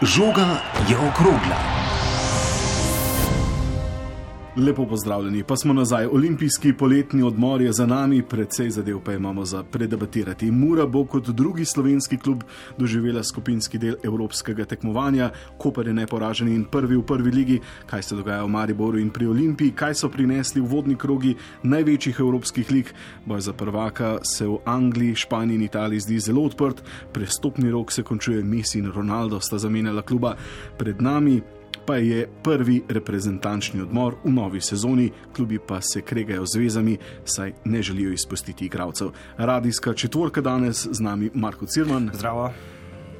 Žoga je okrogla. Lepo pozdravljeni, pa smo nazaj. Olimpijski poletni odmor je za nami, precej zadev pa imamo za predebatirati. Mura bo kot drugi slovenski klub doživela skupinski del evropskega tekmovanja. Koper je neporažen in prvi v prvi ligi. Kaj se dogaja v Mariboru in pri Olimpiji? Kaj so prinesli uvodni krogi največjih evropskih lig? Boj za prvaka se v Angliji, Španiji in Italiji zdi zelo odprt. Prestopni rok se končuje, Messi in Ronaldo sta zamenjala kluba. Pred nami pa je prvi reprezentančni odmor v novi sezoni, klubi pa se kregajo z vezami, saj ne želijo izpustiti igralcev. Radijska četvorka danes, z nami Marko Cirman. Zdravo.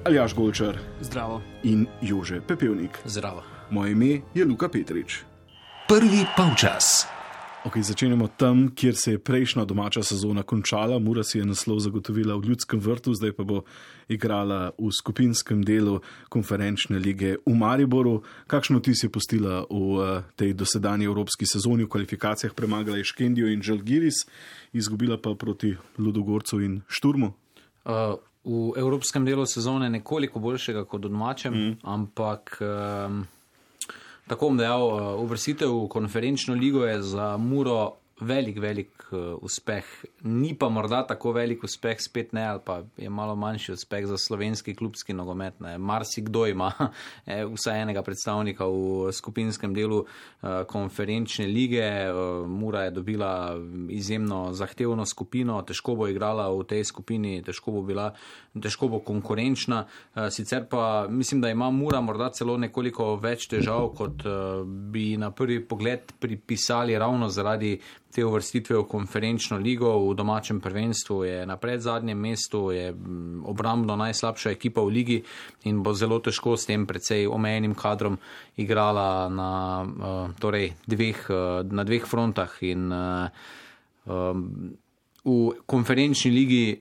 Aljaž Golčar. Zdravo. In Jože Pepevnik. Zdravo. Moje ime je Luka Petrič. Prvi polčas. Ok, začenjamo tam, kjer se je prejšnja domača sezona končala. Mura si je naslov zagotovila v Ljudskem vrtu, zdaj pa bo igrala v skupinskem delu konferenčne lige v Mariboru. Kakšno ti si postila v tej dosedanji evropski sezoni? V kvalifikacijah premagala je Škendijo in Žalgiris, izgubila pa proti Ludogorcu in Šturmu. V evropskem delu sezone nekoliko boljšega kot v domačem, ampak tako bom dejal, uvrstitev v konferenčno ligo je za Muro velik uspeh. Ni pa morda tako velik uspeh, spet ne, ali pa je malo manjši uspeh za slovenski klubski nogomet. Marsikdo ima vsaj enega predstavnika v skupinskem delu konferenčne lige. Mura je dobila izjemno zahtevno skupino, težko bo igrala v tej skupini, težko bo konkurenčna. Sicer pa mislim, da ima Mura morda celo nekoliko več težav, kot bi na prvi pogled pripisali ravno zaradi te uvrstitve v konferenčno ligo. V domačem prvenstvu je na predzadnjem mestu, je obrambno najslabša ekipa v ligi in bo zelo težko s tem precej omejenim kadrom igrala na dveh frontah. In v konferenčni ligi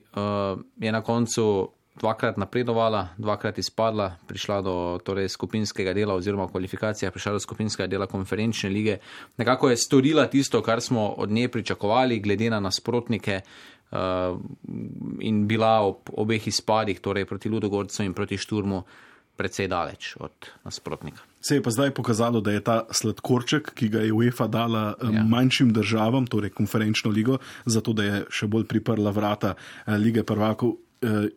je na koncu dvakrat napredovala, dvakrat izpadla, prišla do skupinskega dela oziroma v kvalifikacijah prišla do skupinskega dela konferenčne lige. Nekako je storila tisto, kar smo od nje pričakovali, glede na nasprotnike, in bila ob obeh izpadih, torej proti Ludogorcu in proti Šturmu, precej daleč od nasprotnika. Se je pa zdaj pokazalo, da je ta sladkorček, ki ga je UEFA dala manjšim državam, torej konferenčno ligo, zato da je še bolj priprla vrata lige prvakov,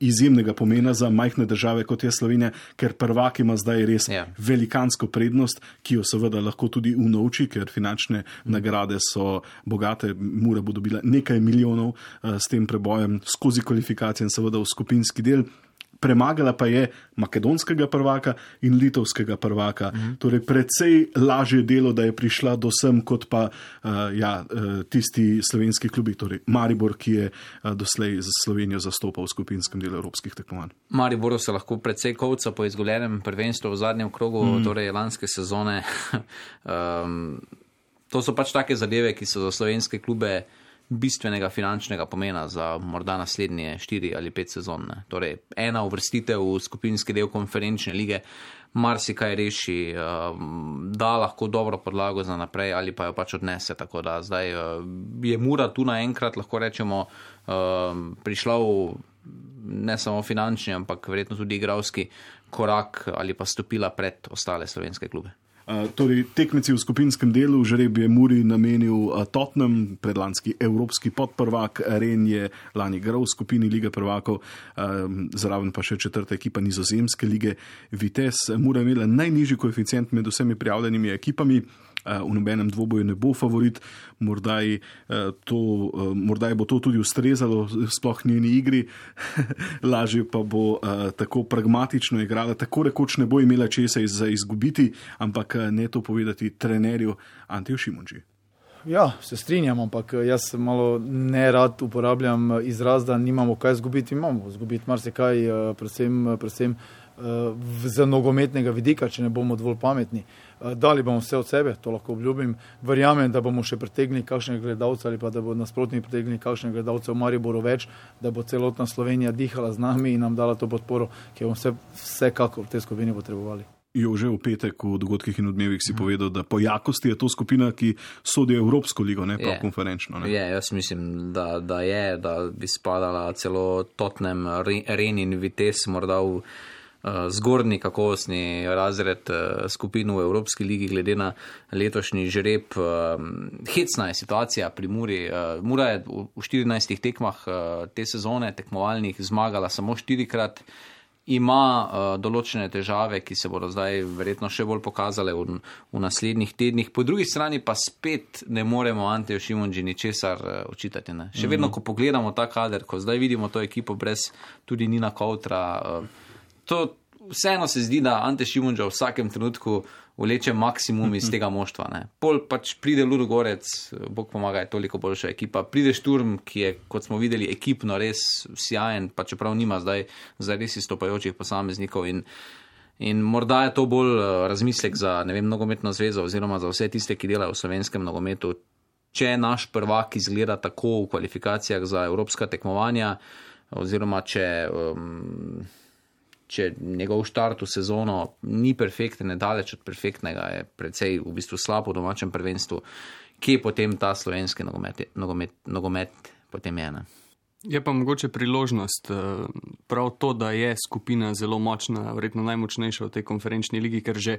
izjemnega pomena za majhne države, kot je Slovenija, ker prvak ima zdaj res velikansko prednost, ki jo seveda lahko tudi unovči, ker finančne nagrade so bogate. Mura bo dobila nekaj milijonov s tem prebojem skozi kvalifikacije in seveda v skupinski del. Premagala pa je makedonskega prvaka in litovskega prvaka. Torej precej lažje delo, da je prišla do sem, kot pa tisti slovenski klubi, torej Maribor, ki je doslej za Slovenijo zastopal v skupinskem delu evropskih tekmovanj. Mariboru se lahko precej kovca po izgubljenem prvenstvu v zadnjem krogu, torej lanske sezone. To so pač take zadeve, ki so za slovenske klube bistvenega finančnega pomena za morda naslednje 4 ali 5 sezon. Torej, ena uvrstitev v skupinski del konferenčne lige marsikaj reši, da lahko dobro podlago za naprej ali pa jo pač odnese. Tako da zdaj je Mura tu naenkrat, lahko rečemo, prišla v ne samo finančni, ampak verjetno tudi igralski korak ali pa stopila pred ostale slovenske klube. Torej, tekmeci v skupinskem delu, žreb je Muri namenil Tottenham, predlanski evropski podprvak, Ren je lani igral v skupini lige prvakov, zraven pa še četrta ekipa nizozemske lige Vitesse. Mura je imela najnižji koeficient med vsemi prijavljenimi ekipami, v nobenem dvoboju ne bo favorit, morda bo to tudi ustrezalo sploh njeni igri, lažje pa bo tako pragmatično igrala, tako rekoč ne bo imela česa za izgubiti, ampak ne to povedati trenerju Antiju Šimunži. Ja, se strinjam, ampak jaz malo nerad uporabljam izraz, da nimamo kaj izgubiti. Imamo izgubiti marsikaj, predvsem z nogometnega vidika, če ne bomo dovolj pametni. Dali bomo vse od sebe, to lahko obljubim. Verjamem, da bomo še pritegnili kakšnega gledalca ali pa da bo nasprotnik pritegnili kakšnega gledalca v Mariboru več, da bo celotna Slovenija dihala z nami in nam dala to podporo, ki bomo vsekako v tej skupini potrebovali. Jože, v petek v dogodkih in odmevih si povedal, da po jakosti je to skupina, ki sodi Evropsko ligo, ne pa konferenčno. Ne? Jaz mislim, da bi spadala celo Tottenham, Ren in Vitesse morda v zgornji kakovostni razred skupin v Evropski ligi glede na letošnji žreb. Hecna je situacija pri Muri. Mura je v 14 tekmah te sezone tekmovalnih zmagala samo 4-krat. Ima določene težave, ki se bodo zdaj verjetno še bolj pokazale v naslednjih tednih. Po drugi strani pa spet ne moremo Anteju Šimundži ničesar očitati. Ne? Še vedno, ko pogledamo ta kader, ko zdaj vidimo to ekipo brez tudi Nina Koutra, to vseeno se zdi, da Ante Šimundža v vsakem trenutku vleče maksimum iz tega moštva. Ne? Pol pač pride Ludogorec, Bog pomaga, je toliko boljša ekipa. Pride Šturm, ki je, kot smo videli, ekipno res sjajen, pa čeprav nima zdaj res izstopajočih posameznikov in morda je to bolj razmislek za, ne vem, nogometno zvezo oziroma za vse tiste, ki delajo v slovenskem nogometu. Če naš prvak izgleda tako v kvalifikacijah za evropska tekmovanja oziroma če njegov štart v sezono ni perfekten, nedaleč od perfektnega, je precej v bistvu slab v domačem prvenstvu, kje potem ta slovenski nogomet potem je? Ne? Je pa mogoče priložnost prav to, da je skupina zelo močna, verjetno najmočnejša v tej konferenčni ligi, ker že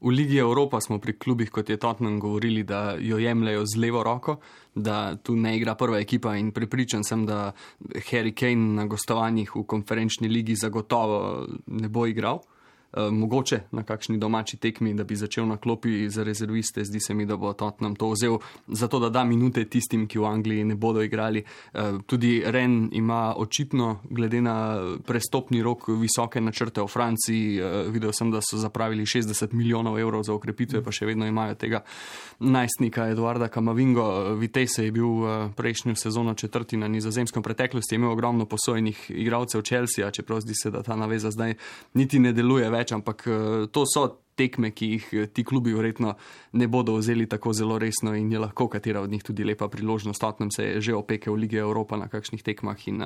v Ligi Evropa smo pri klubih, kot je Tottenham, govorili, da jo jemljajo z levo roko, da tu ne igra prva ekipa in prepričan sem, da Harry Kane na gostovanjih v konferenčni ligi zagotovo ne bo igral. Mogoče na kakšni domači tekmi, da bi začel na klopi za rezerviste. Zdi se mi, da bo Tottenham to vzel zato, da da minute tistim, ki v Angliji ne bodo igrali. Tudi Rennes ima očitno, glede na prestopni rok, visoke načrte v Franciji. Videl sem, da so zapravili 60 milijonov evrov za okrepitve, pa še vedno imajo tega najstnika Eduarda Camavingo. Vitesse je bil prejšnjo sezono 4. na Nizozemskem, preteklosti je imel ogromno posojenih igralcev Chelsea, čeprav zdi se, da ta naveza zdaj niti ne deluje več, ampak to so tekme, ki jih ti klubi verjetno ne bodo vzeli tako zelo resno in je lahko katera od njih tudi lepa priložnost. Tottenham se je že opekel v Lige Evropa na kakšnih tekmah in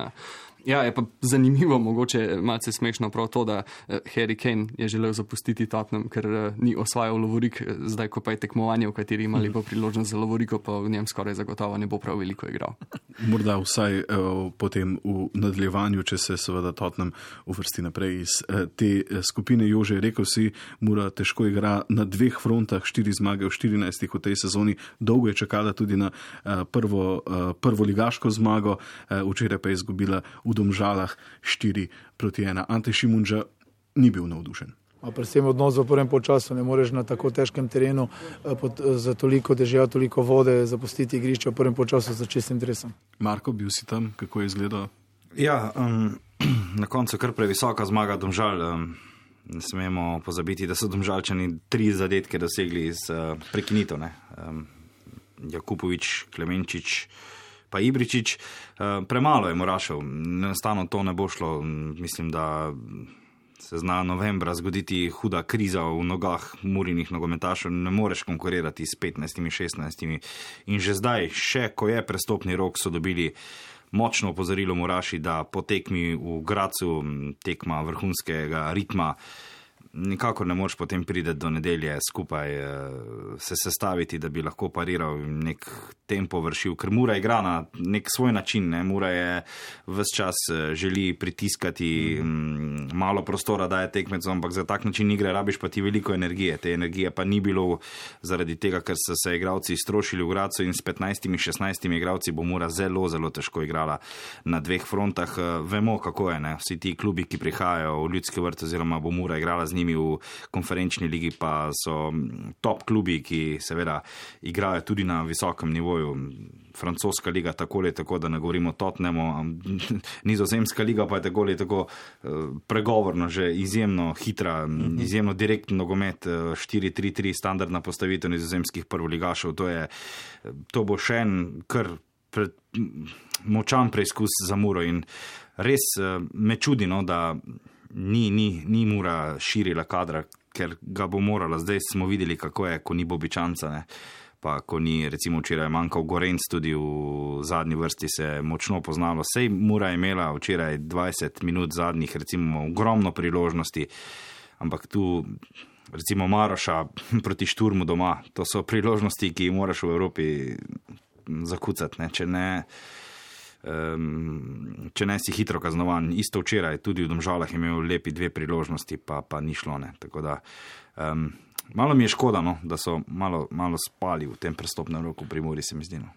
ja, je pa zanimivo, mogoče malce smešno prav to, da Harry Kane je želel zapustiti Tottenham, ker ni osvajal lovorik, zdaj ko pa je tekmovanje, v kateri ima lepo priložnost za lovoriko, pa v njem skoraj zagotovo ne bo prav veliko igral. Morda vsaj potem v nadaljevanju, če se seveda Tottenham uvrsti naprej iz te skupine. Jože, rekel si, Mura težko igra na 2 frontah, 4 zmage v 14 v tej sezoni, dolgo je čakala tudi na prvo ligaško zmago, včeraj pa je izgubila v Domžalah 4-1. Ante Šimundža ni bil navdušen. Predvsem odnos v prvem polčasu, ne moreš na tako težkem terenu za toliko dežja, toliko vode zapustiti igrišče v prvem polčasu za čistim dresom. Marko, bil si tam, kako je izgledalo? Ja, na koncu kar previsoka zmaga Domžal. Ne smemo pozabiti, da so Domžalčani 3 zadetke dosegli iz prekinitev. Jakupovič, Klemenčič pa Ibričič. Premalo je Murašev. Enostavno to ne bo šlo. Mislim, da se zna novembra zgoditi huda kriza v nogah Murinih nogometašev. Ne moreš konkurirati s 15, 16. In že zdaj, še ko je prestopni rok, so dobili močno opozorilo Muraši, da po tekmi v Gracu, tekma vrhunskega ritma, nikakor ne moreš potem priti do nedelje skupaj se sestaviti, da bi lahko pariral in nek tempo vršil, ker Mura igra na nek svoj način. Mura je ves čas želi pritiskati, malo prostora daje tekmecom, ampak za tak način igre rabiš pa ti veliko energije. Te energije pa ni bilo zaradi tega, ker so se igralci strošili v Gracu in s 15, 16 igralci bo Mura zelo, zelo težko igrala na 2 frontah. Vemo, kako je, ne? Vsi ti klubi, ki prihajajo v Ljudski vrt oziroma bo Mura igrala z njimi v konferenčni ligi, pa so top klubi, ki seveda igrajo tudi na visokem nivoju. Francoska liga tako ali tako, da ne govorimo o Tottenhamu, Nizozemska liga pa je tako ali tako pregovorno, že izjemno hitra, izjemno direktno nogomet, 4-3-3 standardna postavitev nizozemskih prvoligašev. To bo še en kar močan preizkus za Muro in res me čudi, da ni Mura širila kadra, ker ga bo morala. Zdaj smo videli, kako je, ko ni Bobičanca, pa ko ni, recimo včeraj manjkal Gorenc, tudi v zadnji vrsti se je močno poznalo. Sej Mura je imela včeraj 20 minut zadnjih, recimo ogromno priložnosti, ampak tu recimo Maroša proti Šturmu doma, to so priložnosti, ki jih moraš v Evropi zakucati, če ne če ne si hitro kaznovan. Isto včeraj, tudi v Domžalah je imel lepi 2 priložnosti, pa ni šlo. Ne. Tako da, malo mi je škoda, no, da so malo spali v tem prestopnem roku pri Muri, se mi zdi. No.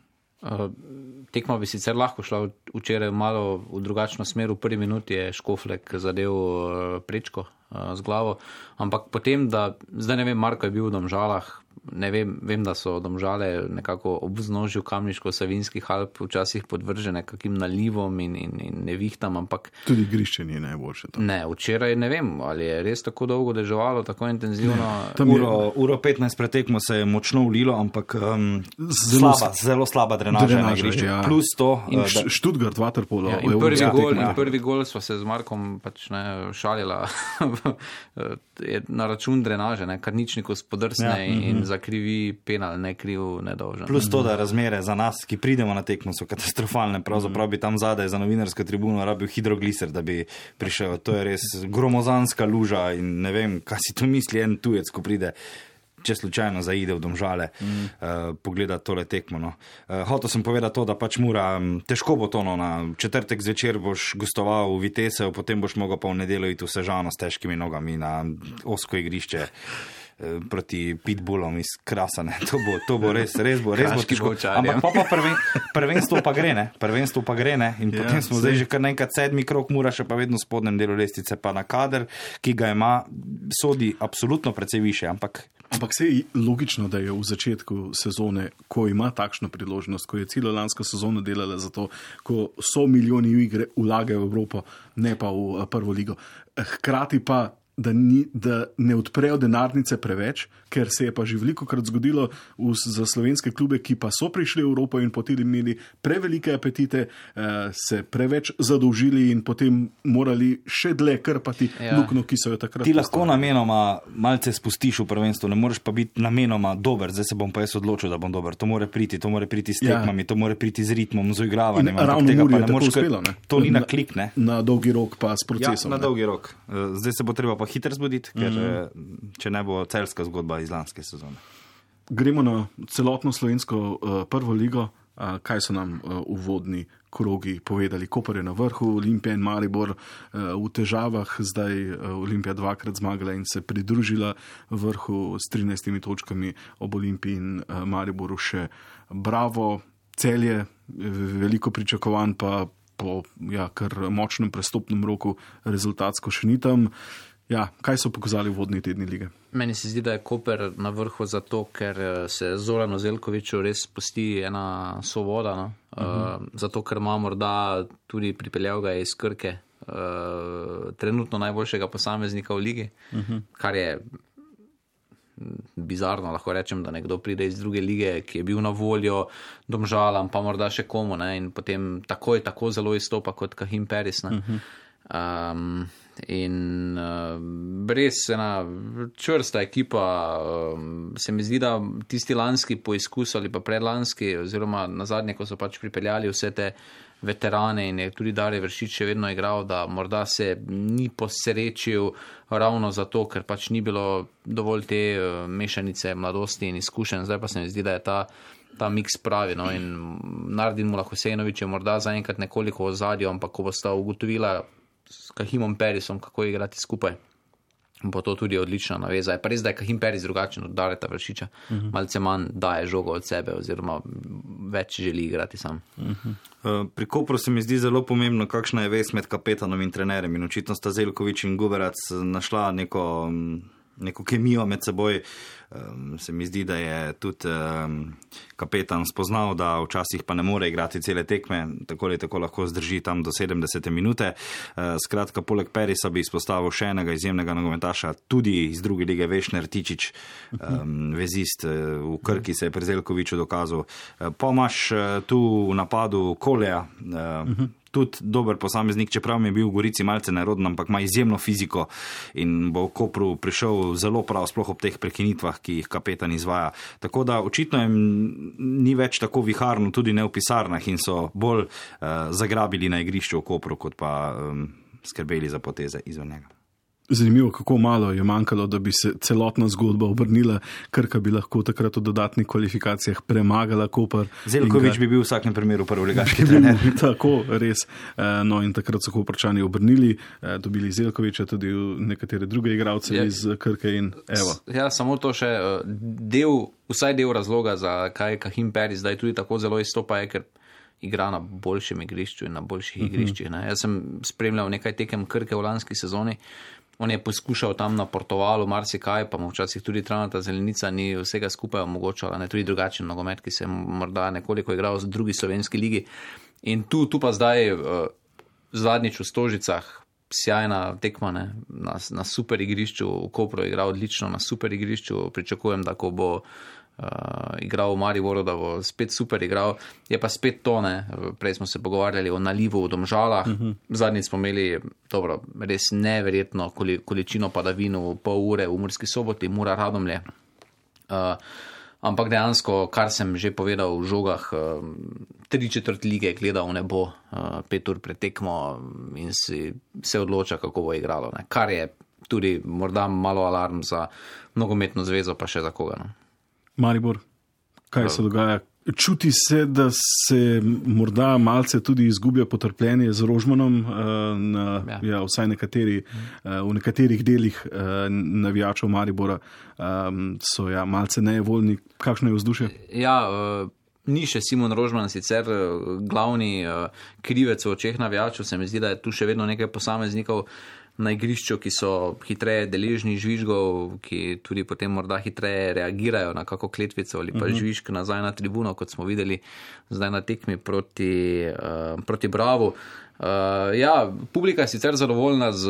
Tekma bi sicer lahko šla včeraj malo v drugačno smer. V prvi minuti je Škoflek zadev prečko z glavo, ampak potem, zdaj ne vem, Marko je bil v Domžalah, ne vem, da so Domžale nekako ob vznožju Kamniško-Savinskih Alp včasih podvržene kakim nalivom in nevihtam, ampak... Tudi igrišče ni najboljše. To. Ne, včeraj ne vem, ali je res tako dolgo deževalo, tako intenzivno. Uro 15 pretekmo se je močno ulilo, ampak zelo slaba drenaža na igrišče. Ja. Plus to... Stuttgart, Waterpolo. Ja, in prvi gol sva se z Markom pač šalila na račun drenaže, kar ničniku spodrsne in zakrivi penal, ne kriv, nedolžen. Plus to, da razmere za nas, ki pridemo na tekmo, so katastrofalne. Pravzaprav bi tam zadaj za novinarsko tribuno rabil hidrogliser, da bi prišel. To je res gromozanska luža in ne vem, kaj si to misli en tujec, ko pride, če slučajno zaide v Domžale, pogleda tole tekmo. No. Hotel sem povedati to, da pač Mura, težko bo to, no, na četrtek zvečer boš gostoval v Vitesev, potem boš mogel pa v nedeljo iti v Sežano s težkimi nogami na osko igrišče proti pitbullom iz Krasane. To bo res bo težko. Ampak pa prvenstvo pa gre, ne? In potem smo zdaj že kar nekaj 7. krog, Mura še pa vedno v spodnjem delu lestvice, pa na kader, ki ga ima, sodi absolutno precej više, ampak se je logično, da je v začetku sezone, ko ima takšno priložnost, ko je celo lansko sezono delala za to, ko so milijoni v igre vlagajo v Evropo, ne pa v prvo ligo. Hkrati pa da ne odprejo denarnice preveč, ker se je pa že velikokrat zgodilo za slovenske klube, ki pa so prišli v Evropo in potem imeli prevelike apetite, se preveč zadolžili in potem morali še dlje krpati luknjo, ki so jo takrat. Ti lahko namenoma malce spustiš v prvenstvo, ne moreš pa biti namenoma dober, zdaj se bom pa jaz odločil, da bom dober. To more priti s tekmami, to more priti z ritmom, z igravanjem. Ravno Muri je tako uspelo, ne? To ni na klik, ne? Na dolgi rok pa s procesom. Ja, na dolgi rok. Zdaj se bo treba pa hitro zbuditi, ker če ne bo celska zgodba iz lanske sezone. Gremo na celotno slovensko prvo ligo. Kaj so nam uvodni krogi povedali? Koper je na vrhu, Olimpija in Maribor v težavah, zdaj Olimpija 2-krat zmagala in se pridružila vrhu s 13 točkami, ob Olimpiji in Mariboru še Bravo, Celje, veliko pričakovanj pa po kar močnem prestopnem roku rezultatsko še ni tam. Kaj so pokazali vodni tedni lige? Meni se zdi, da je Koper na vrhu zato, ker se Zoranu Zeljkoviću res spusti ena svoboda. No? Zato, ker ima morda tudi pripeljal ga iz Krke trenutno najboljšega posameznika v ligi, kar je bizarno, lahko rečem, da nekdo pride iz druge lige, ki je bil na voljo Domžalam, pa morda še komu, ne? In potem tako zelo izstopa kot Kahim Peris. In res ena čvrsta ekipa, se mi zdi, da tisti lanski poizkus ali pa predlanski oziroma nazadnje, ko so pač pripeljali vse te veterane in je tudi Darje Vršič še vedno igral, da morda se ni posrečil ravno zato, ker pač ni bilo dovolj te mešanice mladosti in izkušenj. Zdaj pa se mi zdi, da je ta miks pravi, no, in Nardin Mulahosejnović je morda zaenkrat nekoliko v ozadju, ampak ko bosta ugotovila s Kahimom Perisom, kako igrati skupaj, bo to tudi odlična naveza. Je pa res, da je Kahim Peris drugačen od Dareta Vršiča. Malce manj daje žogo od sebe oziroma več želi igrati sam. Pri Kopru se mi zdi zelo pomembno, kakšna je vez med kapetanom in trenerjem. In očitno sta Zeljković in Guberac našla neko kemijo med seboj. Se mi zdi, da je tudi kapetan spoznal, da včasih pa ne more igrati cele tekme, tako ali tako lahko zdrži tam do 70 minute. Skratka, poleg Perisa bi izpostavil še enega izjemnega nogometaša, tudi iz druge lige, Vešner Tičić, vezist v Krki se je pri Zeljkoviću dokazal. Pa imaš tu v napadu Koleja, tudi dober posameznik, čeprav mi je bil v Gorici malce neroden, ampak ima izjemno fiziko in bo v Kopru prišel zelo prav, sploh ob teh prekinitvah, ki jih kapetan izvaja. Tako da očitno jim ni več tako viharno, tudi ne v pisarnah in so bolj zagrabili na igrišču v Kopru, kot pa skrbeli za poteze izven njega. Zanimivo, kako malo je manjkalo, da bi se celotna zgodba obrnila, Krka bi lahko takrat v dodatnih kvalifikacijah premagala Koper. Zeljković bi bil v vsakem primeru prvoligaški trener. Tako, res. No in takrat so Koprčani obrnili, dobili Zeljkovića, tudi nekatere druge igralce iz Krke in evo. Ja, samo to še vsaj del razloga, zakaj Kahim Peri zdaj tudi tako zelo izstopa, je, ker igra na boljšem igrišču in na boljših igriščih. Ne. Jaz sem spremljal nekaj tekem Krke v lanski sezoni. On je poskušal tam na Portovalu marsikaj, pa mu včasih tudi travnata zelenica ni vsega skupaj omogočala, ne, tudi drugačen nogomet, ki se morda nekoliko igral v drugi slovenski ligi. In tu pa zdaj zadnjič v Stožicah sjajna tekma, ne, na super igrišču, v Kopru je igral odlično na super igrišču, pričakujem, da ko bo igral v Mariboru, da bo spet super igral, je pa spet to, ne, prej smo se pogovarjali o nalivu v Domžalah, zadnjič smo imeli res neverjetno količino padavin v pol ure v Murski Soboti, Mura Radomlje, ampak dejansko, kar sem že povedal v žogah, 3/4 lige gledal v nebo 5 ur pred tekmo in se odloča, kako bo igralo, ne, kar je tudi morda malo alarm za nogometno zvezo, pa še za koga, no. Maribor, kaj se dogaja? Čuti se, da se morda malce tudi izgublja potrpljenje z Rožmanom, vsaj v nekaterih delih navijačev Maribora so malce nejevoljni. Kakšno je vzdušje? Ja, ni še Simon Rožman sicer glavni krivec v očeh navijačev, se mi zdi, da je tu še vedno nekaj posameznikov na igrišču, ki so hitreje deležni žvižgov, ki tudi potem morda hitreje reagirajo na kako kletvico ali pa žvižg nazaj na tribuno, kot smo videli zdaj na tekmi proti Bravu. Publika je sicer zadovoljna z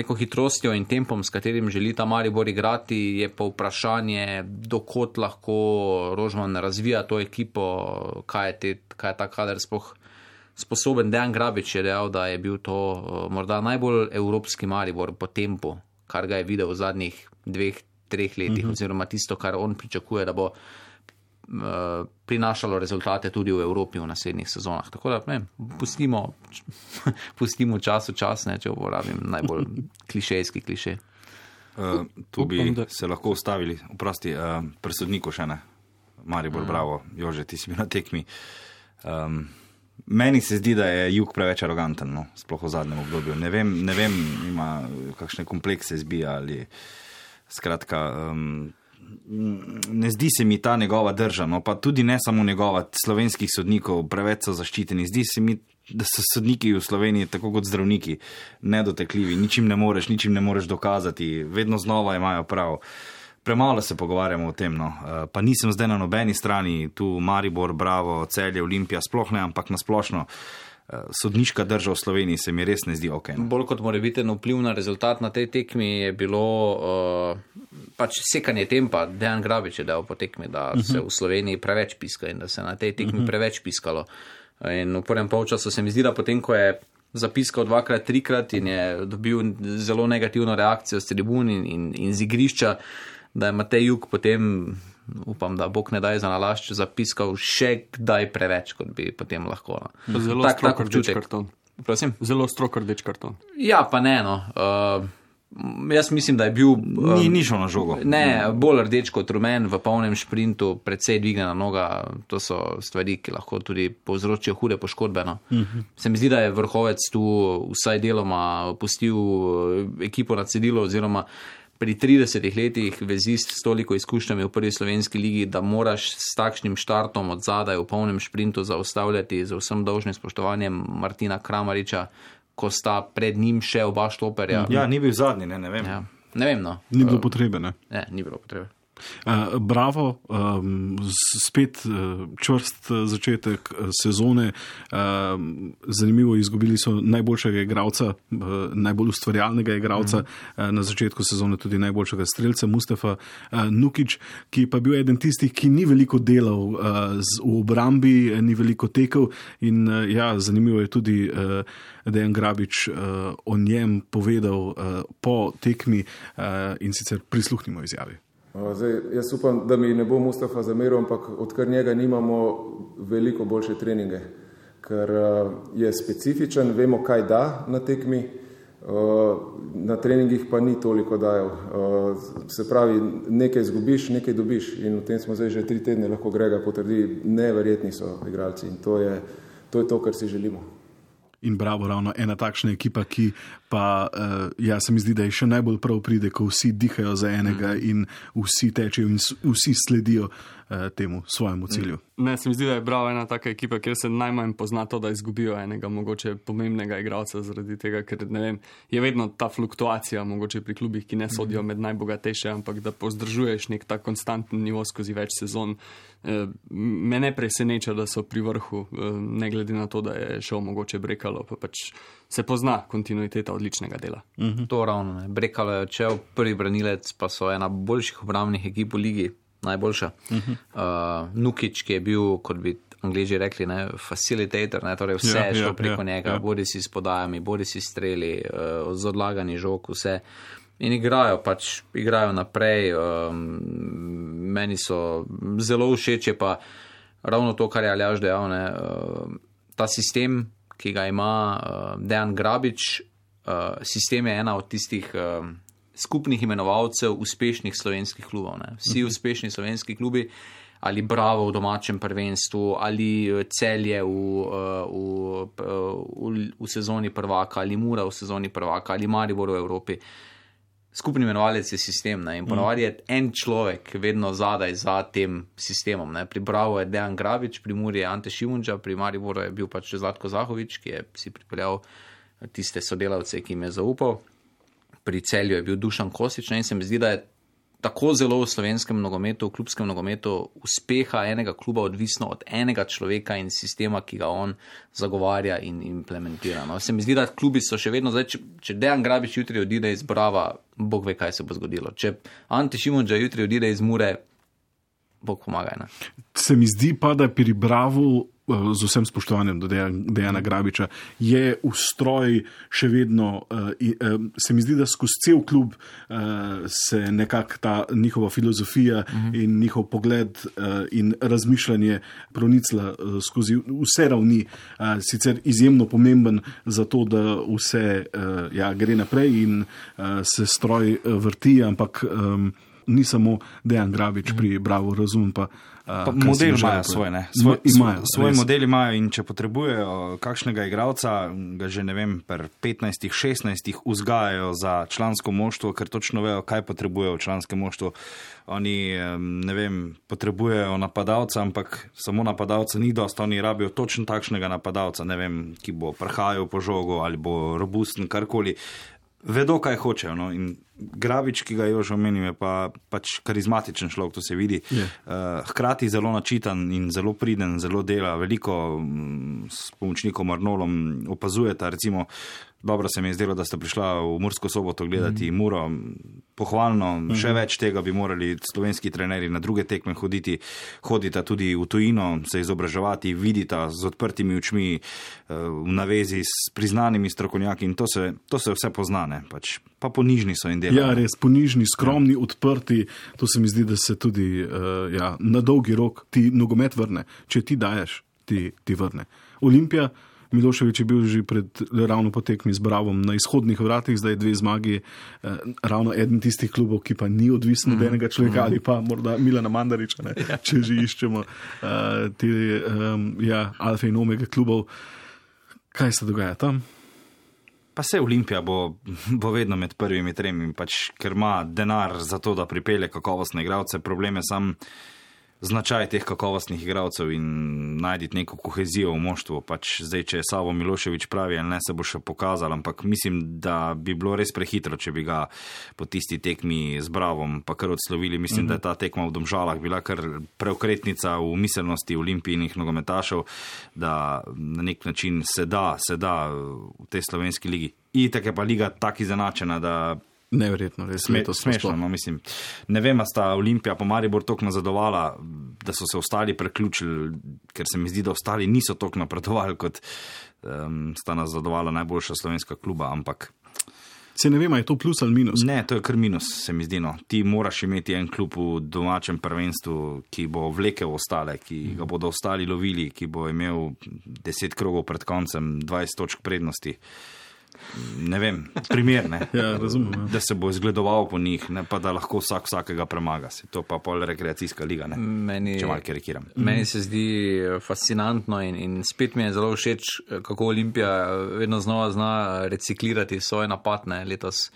neko hitrostjo in tempom, s katerim želi ta Maribor igrati, je pa vprašanje, dokot lahko Rožman razvija to ekipo, kaj je ta kader sploh sposoben. Dejan Grabič je dejal, da je bil to morda najbolj evropski Maribor po tempu, kar ga je videl v zadnjih 2-3 letih, oziroma tisto, kar on pričakuje, da bo prinašalo rezultate tudi v Evropi v naslednjih sezonah. Tako da pustimo čas, če uporabim najbolj klišejski klišej. Tu bi se lahko ustavili, oprosti, pri sodniku še ne. Maribor, bravo, Jože, ti si bil na tekmi. Meni se zdi, da je Jug preveč aroganten, no, sploh v zadnjem obdobju. Ne vem, ima kakšne komplekse zbija ali skratka, ne zdi se mi ta njegova drža, no, pa tudi ne samo njegova, slovenskih sodnikov preveč so zaščiteni. Zdi se mi, da so sodniki v Sloveniji, tako kot zdravniki, nedotekljivi, ničim ne moreš dokazati, vedno znova imajo prav. Premalo se pogovarjamo o tem, no. Pa nisem zdaj na nobeni strani, tu Maribor, Bravo, Celje, Olimpija, sploh ne, ampak nasplošno sodniška drža v Sloveniji se mi res ne zdi ok. No. Bolj kot morebiten vpliv na rezultat na tej tekmi je bilo pač sekanje tempa. Dejan Grabič je dal po tekmi, da se v Sloveniji preveč piska in da se na tej tekmi preveč piskalo. In v prvem polčasu se mi zdi, da potem, ko je zapiskal 2-krat, 3-krat in je dobil zelo negativno reakcijo s tribun in z igrišča, da je Matej Jug potem, upam, da Bog ne daj za nalašč, zapiskal še kdaj preveč, kot bi potem lahko. No. Zelo strok rdeč karton. Prosim? Zelo strok rdeč karton. Ja, pa ne, no. Jaz mislim, da je bil ni šel na žogo. Ne, bolj rdeč kot rumen v polnem šprintu, precej dvignjena noga. To so stvari, ki lahko tudi povzročijo hude poškodbe. No. Se mi zdi, da je Vrhovec tu vsaj deloma pustil ekipo na cedilu, oziroma pri 30 letih vezist s toliko izkušnjami v prvi slovenski ligi, da moraš s takšnim štartom od zadaj v polnem šprintu zaustavljati z vsem dolžnim spoštovanjem Martina Kramariča, ko sta pred njim še oba štoperja. Ja, ni bil zadnji, ne vem. Ja, ne vem, no. Ni bilo potrebe, ne? Ne, ni bilo potrebe. Bravo, spet čvrst začetek sezone, zanimivo, izgubili so najboljšega igralca, najbolj ustvarjalnega igralca, na začetku sezone tudi najboljšega strelca Mustafa Nukić, ki pa bil eden tistih, ki ni veliko delal v obrambi, ni veliko tekel in zanimivo je tudi Dejan Grabič o njem povedal po tekmi in sicer prisluhnimo izjavi. Zdaj, jaz upam, da mi ne bo Mustafa zameril, ampak odkar njega nimamo veliko boljše treninge, ker je specifičen, vemo, kaj da na tekmi, Na treningih pa ni toliko dajal. Se pravi, nekaj izgubiš, nekaj dobiš in v tem smo zdaj že 3 tedne, lahko Grega potrdi, neverjetni so igralci in to je to, kar si želimo. In bravo, ravno ena takšna ekipa, ki pa, se mi zdi, da je še najbolj prav pride, ko vsi dihajo za enega in vsi tečejo in vsi sledijo temu svojemu cilju. Ne, se mi zdi, da je bravo ena taka ekipa, kjer se najmanj pozna to, da izgubijo enega mogoče pomembnega igralca zaradi tega, ker ne vem, je vedno ta fluktuacija mogoče pri klubih, ki ne sodijo med najbogatejše, ampak da pozdržuješ nek ta konstanten nivo skozi več sezon. Me ne preseneča, da so pri vrhu, ne glede na to, da je šel mogoče Brekalo, pa pač se pozna kontinuiteta odličnega dela. To ravno, ne. Brekalo je odšel, prvi branilec, pa so ena boljših obrambnih ekip v ligi, najboljša. Nukić, ki je bil, kot bi Angleži rekli, ne, facilitator, ne, torej vse je šlo preko njega, bodi si s podajami, bodi si streli, z odlaganji žog, vse. In igrajo naprej, meni so zelo všeč, je pa ravno to, kar je Aljaž dejal, ne, ta sistem, ki ga ima Dejan Grabič, sistem je ena od tistih skupnih imenovalcev uspešnih slovenskih klubov. Ne. Vsi uspešni slovenski klubi, ali Bravo v domačem prvenstvu, ali Celje v sezoni prvaka, ali Mura v sezoni prvaka, ali Maribor v Evropi. Skupni imenovalec je sistem, ne? In ponavadi je en človek vedno zadaj za tem sistemom. Ne? Pri Bravo je Dejan Grabič, pri Muri je Ante Šimunča, pri Mariboru je bil pač Zlatko Zahovič, ki je si pripeljal tiste sodelavce, ki jim je zaupal. Pri Celju je bil Dušan Kosič, ne? In se mi zdi, da je tako zelo v slovenskem nogometu, v klubskem nogometu uspeha enega kluba odvisno od enega človeka in sistema, ki ga on zagovarja in implementira. No, se mi zdi, da klubi so še vedno, zdaj, če Dejan Grabič jutri odide iz Brava, Bog ve, kaj se bo zgodilo. Če Ante Šimunča jutri odide iz Mure, Bog pomagaj. Ne? Se mi zdi pa, da pri Bravu, z vsem spoštovanjem do Dejana Grabiča, je ustroj še vedno, se mi zdi, da skozi cel klub se nekako ta njihova filozofija in njihov pogled in razmišljanje pronicla skozi vse ravni, sicer izjemno pomemben za to, da vse gre naprej in se stroj vrti, ampak ni samo Dejan Grabič pri Bravo, razumem pa. Model imajo svoj, ne? Svoj model imajo in če potrebujejo kakšnega igralca, ga že ne vem, per 15-16 vzgajajo za člansko moštvo, ker točno vejo, kaj potrebujejo v članskem moštvu. Oni, ne vem, potrebujejo napadalca, ampak samo napadalca ni dost, oni rabijo točno takšnega napadalca, ne vem, ki bo prhajal po žogu ali bo robusten, karkoli. Vedo, kaj hočejo. No? In Grabič, ki ga je že omenil, je pač karizmatičen človek, to se vidi. Hkrati zelo načitan in zelo priden, zelo dela, veliko s pomočnikom Arnolom opazujeta, recimo, dobro se mi je zdelo, da sta prišla v Mursko Soboto gledati Muro, pohvalno, še več tega bi morali slovenski trenerji na druge tekme hodita tudi v tujino, se izobraževati, vidita z odprtimi očmi, v navezi s priznanimi strokovnjaki in to se vse poznane, pač. Pa ponižni so in delajo. Ja, res, ponižni, skromni, odprti, to se mi zdi, da se tudi na dolgi rok ti nogomet vrne. Če ti daješ, ti vrne. Olimpija, Milošević je bil že ravno po tekmi z Bravom na izhodnih vratih, zdaj 2 zmagi, ravno eden tistih klubov, ki pa ni odvisen od enega človeka ali pa morda Milana Mandariča, ne, če že iščemo te alfa in omega klubov. Kaj se dogaja tam? Pa se Olimpija bo vedno med prvimi 3, pač, ker ima denar za to, da pripelje kakovostne igralce. Problem je sam značaj teh kakovostnih igralcev in najditi neko kohezijo v moštvu. Pač zdaj, če je Savo Milošević pravi, ali ne, se bo še pokazal, ampak mislim, da bi bilo res prehitro, če bi ga po tisti tekmi z Bravom pa kar odslovili. Mislim, da je ta tekma v Domžalah bila kar preokretnica v miselnosti olimpijnih nogometašev, da na nek način se da v tej slovenski ligi. Itak je pa liga tak izenačena, da neverjetno, res smešno, no, mislim. Ne vem, a sta Olimpija pa Maribor toliko nazadovala, da so se ostali preključili, ker se mi zdi, da ostali niso toliko napredovali, kot sta nazadovala najboljša slovenska kluba, ampak se ne vem, je to plus ali minus? Ne, to je kar minus, se mi zdi, no. Ti moraš imeti en klub v domačem prvenstvu, ki bo vlekel ostale, ki ga bodo ostali lovili, ki bo imel 10 krogov pred koncem 20 točk prednosti. ne vem, primerne, Ja, razumem. da se bo izgledoval po njih, ne pa da lahko vsakega premaga. To pa pol rekreacijska liga, ne? Če malo karikiram. Meni se zdi fascinantno in spet mi je zelo všeč, kako Olimpija vedno znova zna reciklirati svoje napadne letos.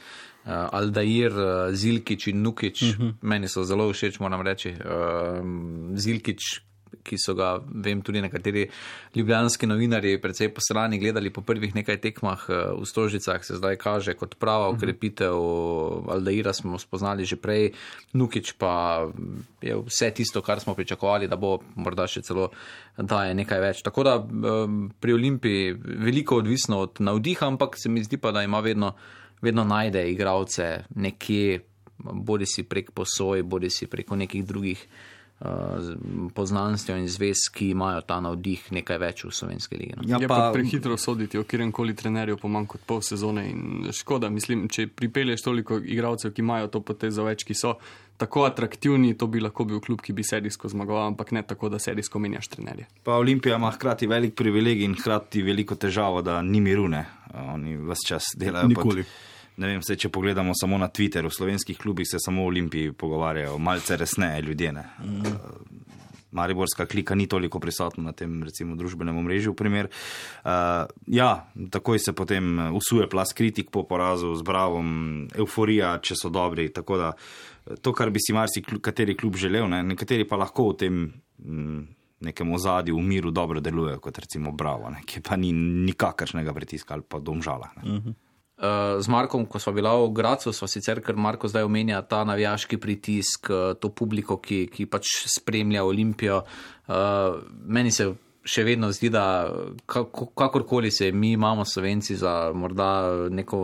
Aldair, Zilkić in Nukić, meni so zelo všeč, moram reči. Zilkić, ki so ga, vem, tudi nekateri ljubljanski novinarji predvsej posrani gledali po prvih nekaj tekmah v Stožicah, se zdaj kaže kot prava ukrepitev. Aldaira smo spoznali že prej, Nukić pa je vse tisto, kar smo pričakovali, da bo morda še celo daje nekaj več. Tako da pri Olimpiji veliko odvisno od navdiha, ampak se mi zdi pa, da ima vedno najde igralce nekje, bodi si prek posoj, bodi si preko nekih drugih poznanstv in zvez, ki imajo ta navdih nekaj več v slovenski ligi. Ja, pa prehitro soditi o kjeremkoli trenerju po manj kot pol sezone in škoda, mislim, če pripelješ toliko igralcev, ki imajo to potezo več, ki so tako atraktivni, to bi lahko bil klub, ki bi serijsko zmagoval, ampak ne tako, da serijsko menjaš trenerje. Pa Olimpija ima hkrati velik privilegij in hkrati veliko težavo, da ni miru, ne. Oni ves čas delajo Nikoli. Ne vem, če pogledamo samo na Twitter, v slovenskih klubih se samo o Olimpiji pogovarjajo, malce resneje ljudje, ne. Mariborska klika ni toliko prisotna na tem, recimo, družbenem omrežju, v primer. Ja, takoj se potem usuje plas kritik po porazu z Bravom, euforija, če so dobri, tako da to, kar bi si kateri klub želel, ne, nekateri pa lahko v tem nekem ozadju v miru dobro delujejo, kot recimo Bravo, ne, ki pa ni nikakršnega pritiska ali pa Domžala, ne. Z Markom, ko sva bila v Gracu, sva sicer, ker Marko zdaj omenja ta navijaški pritisk, to publiko, ki pač spremlja Olimpijo. Meni se še vedno zdi, da kakorkoli se mi imamo Slovenci za morda neko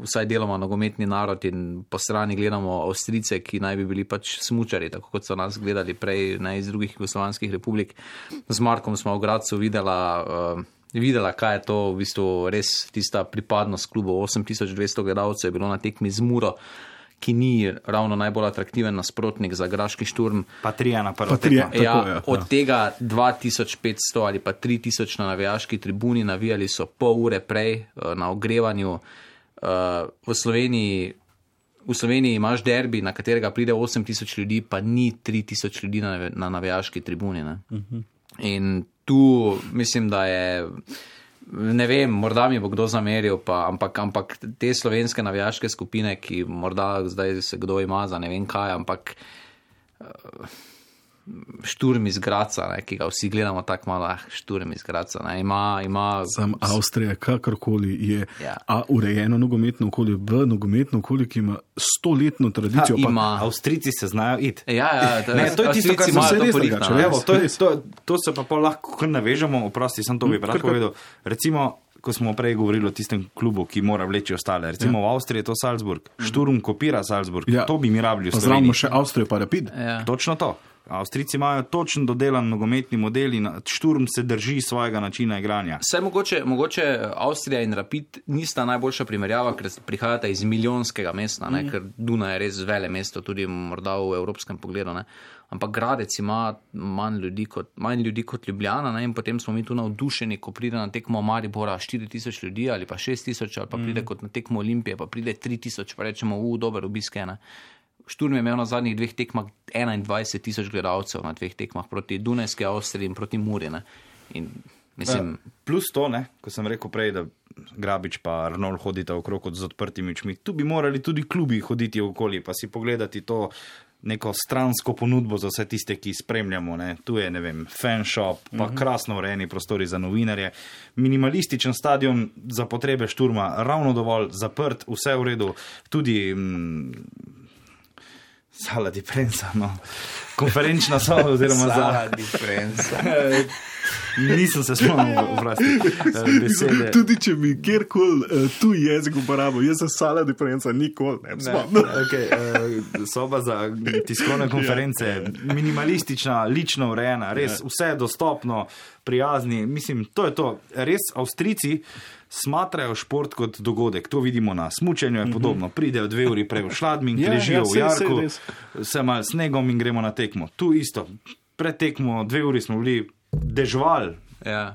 vsaj deloma nogometni narod in po strani gledamo Avstrijce, ki naj bi bili pač smučari, tako kot so nas gledali prej iz drugih jugoslovanskih republik. Z Markom smo v Gracu videla, kaj je to v bistvu res tista pripadnost klubu. 8200 gledalcev je bilo na tekmi z Muro, ki ni ravno najbolj atraktiven nasprotnik za Graški Šturm. Pa 3 na prvo tekmo. Ja, od tega 2500 ali pa 3000 na navijaški tribuni, navijali so pol ure prej na ogrevanju. V Sloveniji imaš derbi, na katerega pride 8000 ljudi, pa ni 3000 ljudi na navijaški tribuni, ne? In tu mislim, da je, ne vem, morda mi bo kdo zameril, ampak te slovenske navijaške skupine, ki morda zdaj se kdo ima za ne vem kaj, ampak Šturm iz Graca, ne, ki ga vsi gledamo tako malo, Šturm iz Graca, ne, ima... Sam Avstrija, kakorkoli je, Ja. urejeno nogometno okolje, v nogometno okolje, ki ima 100-letno tradicijo. Avstrijci se znajo iti. Ne, to je tisto, kar se res drugače. To se pa pol lahko kar navežemo, oprosti, sem to bi rad povedal. Recimo, ko smo prej govorili o tistem klubu, ki mora vleči ostale. Recimo v Avstriji je to Salzburg. Šturm kopira Salzburg. Ja. To bi mi rabili v Pa Sloveniji. zdravimo še Avstrijo pa Rapid. Ja. Točno to. Avstrijci imajo točen dodelan nogometni model in Šturm se drži svojega načina igranja. Vse mogoče Avstrija in Rapid nista najboljša primerjava, ker prihajata iz milijonskega mesta, ne, ker Dunaj je res vele mesto, tudi morda v evropskem pogledu, ne. Ampak Gradec ima manj ljudi kot Ljubljana, ne, in potem smo mi tu navdušeni, ko pride na tekmo Maribora 4000 ljudi ali pa 6000, ali pa pride kot na tekmo Olimpije, pa pride 3000, pa rečemo, dober obisk je, ne. Šturm je imel na zadnjih 2 tekmah 21 000 gledalcev na 2 tekmah proti Dunajski Avstriji in proti Muri, ne. In mislim... Plus to, ne, ko sem rekel prej, da Grabič pa Arnold hodita okrog z odprtimi očmi, tu bi morali tudi klubi hoditi okoli, pa si pogledati to neko stransko ponudbo za vse tiste, ki spremljamo, ne. Tu je, ne vem, fanshop, pa krasno urejeni prostori za novinarje, minimalističen stadion za potrebe Šturma, ravno dovolj zaprt, vse v redu, tudi Sala di Prensa, no. Konferenčna soba oziroma Sala di Prensa. Nisem se spomnil besede. Tudi če bi kjerkoli tuj jezik uporabil, jaz se Sala di Prensa nikoli ne spomnil. Soba za tiskovne konference, minimalistična, lično urejena, res vse dostopno, prijazni. Mislim, to je to. Res Avstrijci smatrajo šport kot dogodek. To vidimo na smučanju, je podobno. Pridejo 2 uri prej v Šladming, ležijo v jarku, se malo snegom in gremo na tekmo. Tu isto. Pred tekmo 2 uri smo bili dežval,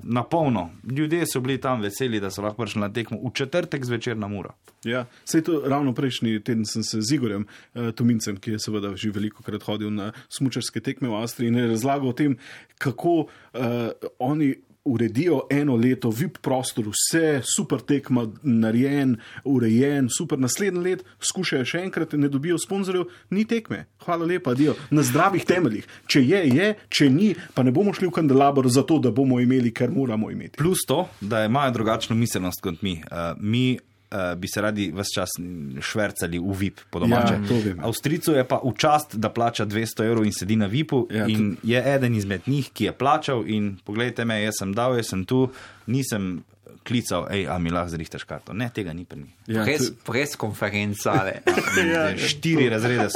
Na polno. Ljudje so bili tam veseli, da so lahko prišli na tekmo v četrtek zvečer na Muro. Ja, sej to ravno prejšnji teden sem se z Igorjem Tomincem, ki je seveda že veliko krat hodil na smučarske tekme v Avstriji in je razlagal o tem, kako oni uredijo eno leto, VIP prostor, vse super tekma, narejen, urejen, super, naslednji let skušajo še enkrat, ne dobijo sponzorjev, ni tekme. Hvala lepa, adijo. Na zdravih temeljih. Če je, če ni, pa ne bomo šli v kandelabor za to, da bomo imeli, kar moramo imeti. Plus to, da imajo drugačno miselnost kot mi. Mi bi se radi vse čas švercali v VIP po domače. Avstrijcu je pa v čast, da plača 200 € in sedi na VIP-u in je eden izmed njih, ki je plačal in pogledajte me, jaz sem dal, jaz sem tu, nisem klical, a mi lahko zrihtaš karto. Ne, tega ni pri njih. Pres konferencale. 4 razrede,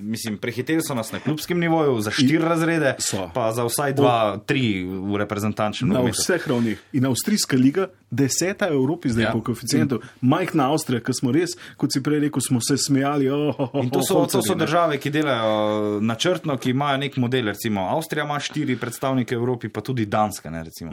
mislim, prehiteli so nas na klubskem nivoju, za 4 razrede, pa za vsaj 2-3 v reprezentančnem nogometu. Na vseh ravnih. In Avstrijska liga, 10. v Evropi zdaj po koeficientu. Majhna Avstrija, ki smo res, kot si prej rekel, smo se smejali. In to so države, ki delajo načrtno, ki imajo nek model. Recimo, Avstrija ima 4 predstavnike v Evropi, pa tudi Danska, ne, recimo.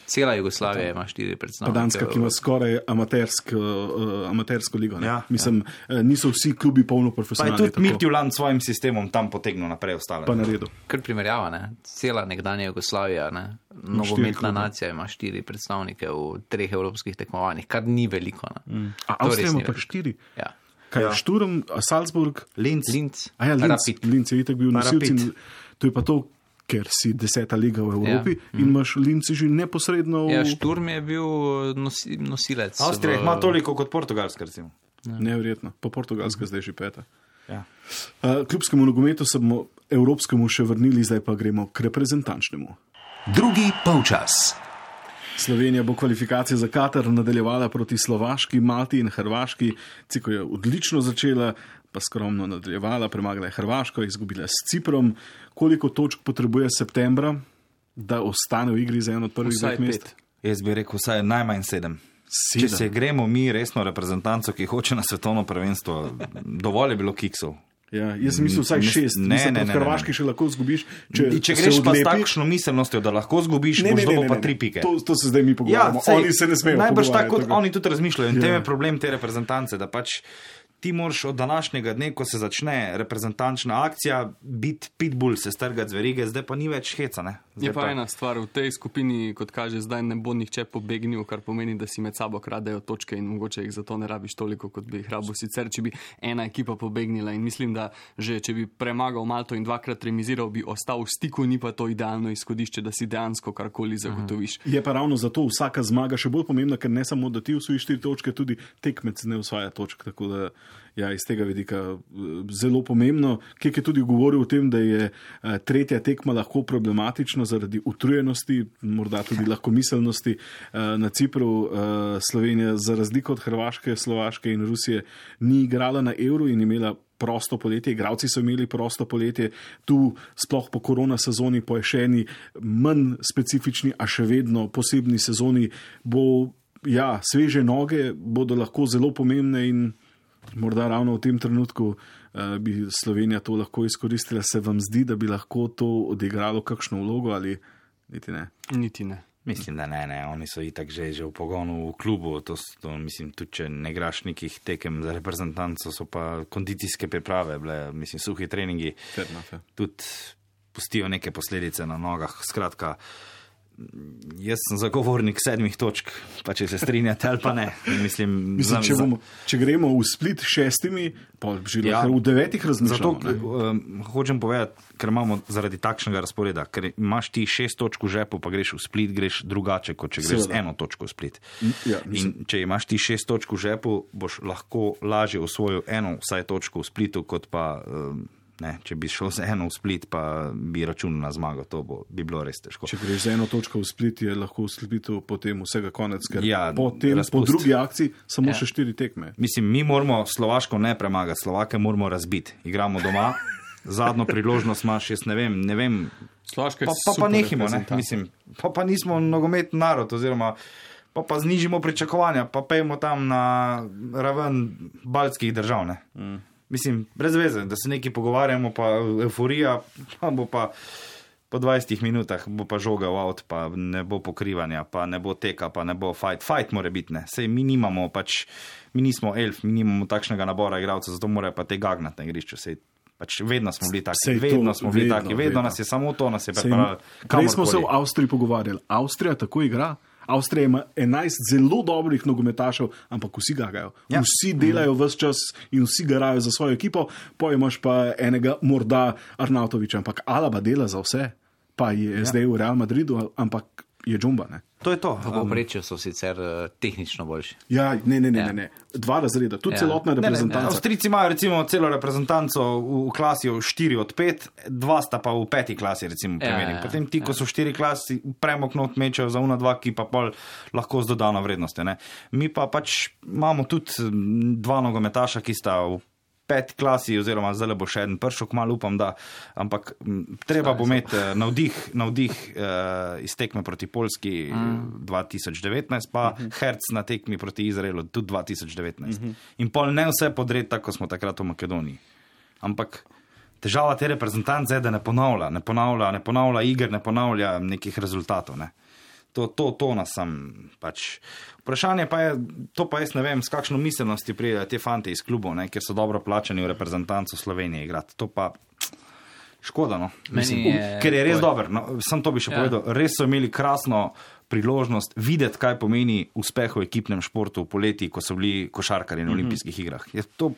Cela Jugoslavija ima 4 predstavnike. Pa Danska, ki ima skoraj amatersko ligo. Mislim, niso vsi klubi polno profesionalni. Pa je tudi Midtjylland s svojim sistemom tam potegnil naprej ostale. Pa naredil. Kar primerjava, ne? Cela nekdanja Jugoslavija, ne? Nogometna nacija ima 4 predstavnike v 3 evropskih tekmovanjih, kar ni veliko. A Avstrija ima pa 4? Ja. Kaj je Šturm, Salzburg? Linz. Rapid. Linz je itak bil nosilci. To je pa to, ker si 10. liga v Evropi in imaš Linci že neposredno v... Ja, Šturm je bil nosilec. Avstrija ima toliko kot Portugalska, recimo. Neverjetno. Po Portugalska zdaj že 5. Klubskemu nogometu se bomo evropskemu še vrnili, zdaj pa gremo k reprezentančnemu. Drugi polčas. Slovenija bo kvalifikacije za Katar nadaljevala proti Slovaški, Malti in Hrvaški. Ciko je odlično začela, pa skromno nadaljevala, premagala je Hrvaško, izgubila s Ciprom. Koliko točk potrebuje septembra, da ostane v igri za eno od prvih 2 mest? Jaz bi rekel vsaj najmanj 7. Če se gremo mi resno reprezentanco, ki hoče na svetovno prvenstvo, dovolj je bilo kiksov. Ja, jaz sem mislil vsaj 6. Ne. Hrvaški še lahko zgubiš. Če greš pa s takšno miselnostjo, da lahko zgubiš, boš dobil pa 3 pike. To se zdaj mi pogovarjamo. Oni se ne smejo pogovarjati. Najbrž tako, kot oni tudi razmišljajo. In tem je problem te reprezentance, da pač ti moraš od današnjega dne, ko se začne reprezentančna akcija, biti pitbull, se strgati z verige, zdaj pa ni več heca. Ne? Je pa ena stvar, v tej skupini, kot kaže, zdaj ne bo nihče pobegnil, kar pomeni, da si med sabo kradejo točke in mogoče jih zato ne rabiš toliko, kot bi jih rabil sicer, če bi ena ekipa pobegnila. In mislim, da že če bi premagal Malto in 2-krat remiziral, bi ostal v stiku, ni pa to idealno izhodišče, da si dejansko karkoli zagotoviš. Je pa ravno zato vsaka zmaga še bolj pomembna, ker ne samo, da ti osvojiš 4 točke, tudi tekmec ne osvaja točk, tako da ja, iz tega vidika zelo pomembno. Kek je tudi govoril o tem, da je 3. tekma lahko problematična zaradi utrujenosti, morda tudi lahkomiselnosti. Na Cipru Slovenija za razliko od Hrvaške, Slovaške in Rusije ni igrala na Euro in imela prosto poletje, igralci so imeli prosto poletje, tu sploh po korona sezoni, po še eni manj specifični, a še vedno posebni sezoni bo, ja, sveže noge bodo lahko zelo pomembne in morda ravno v tem trenutku bi Slovenija to lahko izkoristila. Se vam zdi, da bi lahko to odigralo kakšno vlogo ali niti ne? Niti ne. Mislim, da ne. Oni so itak že v pogonu v klubu. To mislim, tudi če ne igraš nekih tekem za reprezentanco, so pa kondicijske priprave bile, mislim, suhi treningi. Tudi pustijo neke posledice na nogah. Skratka, jaz sem zagovornik 7 točk, pa če se strinjate ali pa ne. Mislim, če gremo v Split 6, pa že v 9 razmišljamo. Zato hočem povedati, ker imamo zaradi takšnega razporeda, ker imaš ti 6 točk v žepu, pa greš v Split, greš drugače, kot če greš z 1 točko v Split. Ja, in če imaš ti 6 točk v žepu, boš lahko lažje osvojil 1 vsaj točko v Splitu, kot pa... Ne, če bi šel z 1 v Split, pa bi računal na zmago, to bi bilo res težko. Če greš z 1 točko v Split, je lahko v Splitu potem vsega konec, ker po drugi akciji samo še 4 tekme. Mislim, mi moramo Slovaško ne premagati, Slovake moramo razbiti. Igramo doma, zadnjo priložnost imaš, jaz ne vem. Slovaška je pa nehimo, ne, mislim, pa nismo nogometni narod, oziroma pa znižimo pričakovanja, pa pejmo tam na raven baltskih držav, ne. Mislim, brez veze, da se nekaj pogovarjamo, pa euforija, pa po 20 minutah bo pa žoga v avt, pa ne bo pokrivanja, pa ne bo teka, pa ne bo fight. Fight mora biti, ne. Sej mi nimamo mi nismo elf, mi nimamo takšnega nabora igralcev, zato morajo pa te gagnati na igrišču. Sej vedno smo bili taki, vedno nas je samo to, nas je pripravljalo. Prej smo se v Avstriji pogovarjali. Avstrija tako igra. Avstrija ima 11 zelo dobrih nogometašev, ampak vsi gagajo. Ja. Vsi delajo vse čas in vsi garajo za svojo ekipo, imaš pa enega morda Arnautoviča, ampak Alaba dela za vse, pa je zdaj v Real Madridu, ampak je džumba, ne. To je to. V povprečju so sicer tehnično boljši. Ja, ne. 2 razreda, tudi celotna reprezentanca. Avstrijci imajo recimo celo reprezentanco v klasi 4 od 5, 2 sta pa v 5. klasi, recimo primerjim. Potem ti, ko so v 4 klasi, premok not mečejo za 2, ki pa pol lahko z dodano vrednostjo, ne. Mi pa imamo tudi 2 nogometaša, ki sta v 5. klasi, oziroma zdaj bo še en pršok, malo upam, da, ampak treba bo imeti navdih iz tekme proti Poljski 2019, pa Herc na tekmi proti Izraelu tudi 2019. In pol ne vse podred, tako smo takrat v Makedoniji. Ampak težava te reprezentance je, da ne ponavlja iger, ne ponavlja nekih rezultatov, ne. To nas sam Vprašanje pa je, to pa jaz ne vem, s kakšno miselnosti prijejo te fante iz klubov, ne, ker so dobro plačani v reprezentancu Slovenije igrati. To pa škoda, no. Ker je res dober. No, sam to bi še povedal. Res so imeli krasno priložnost videti, kaj pomeni uspeh v ekipnem športu v poleti, ko so bili košarkarji na olimpijskih igrah. Je to...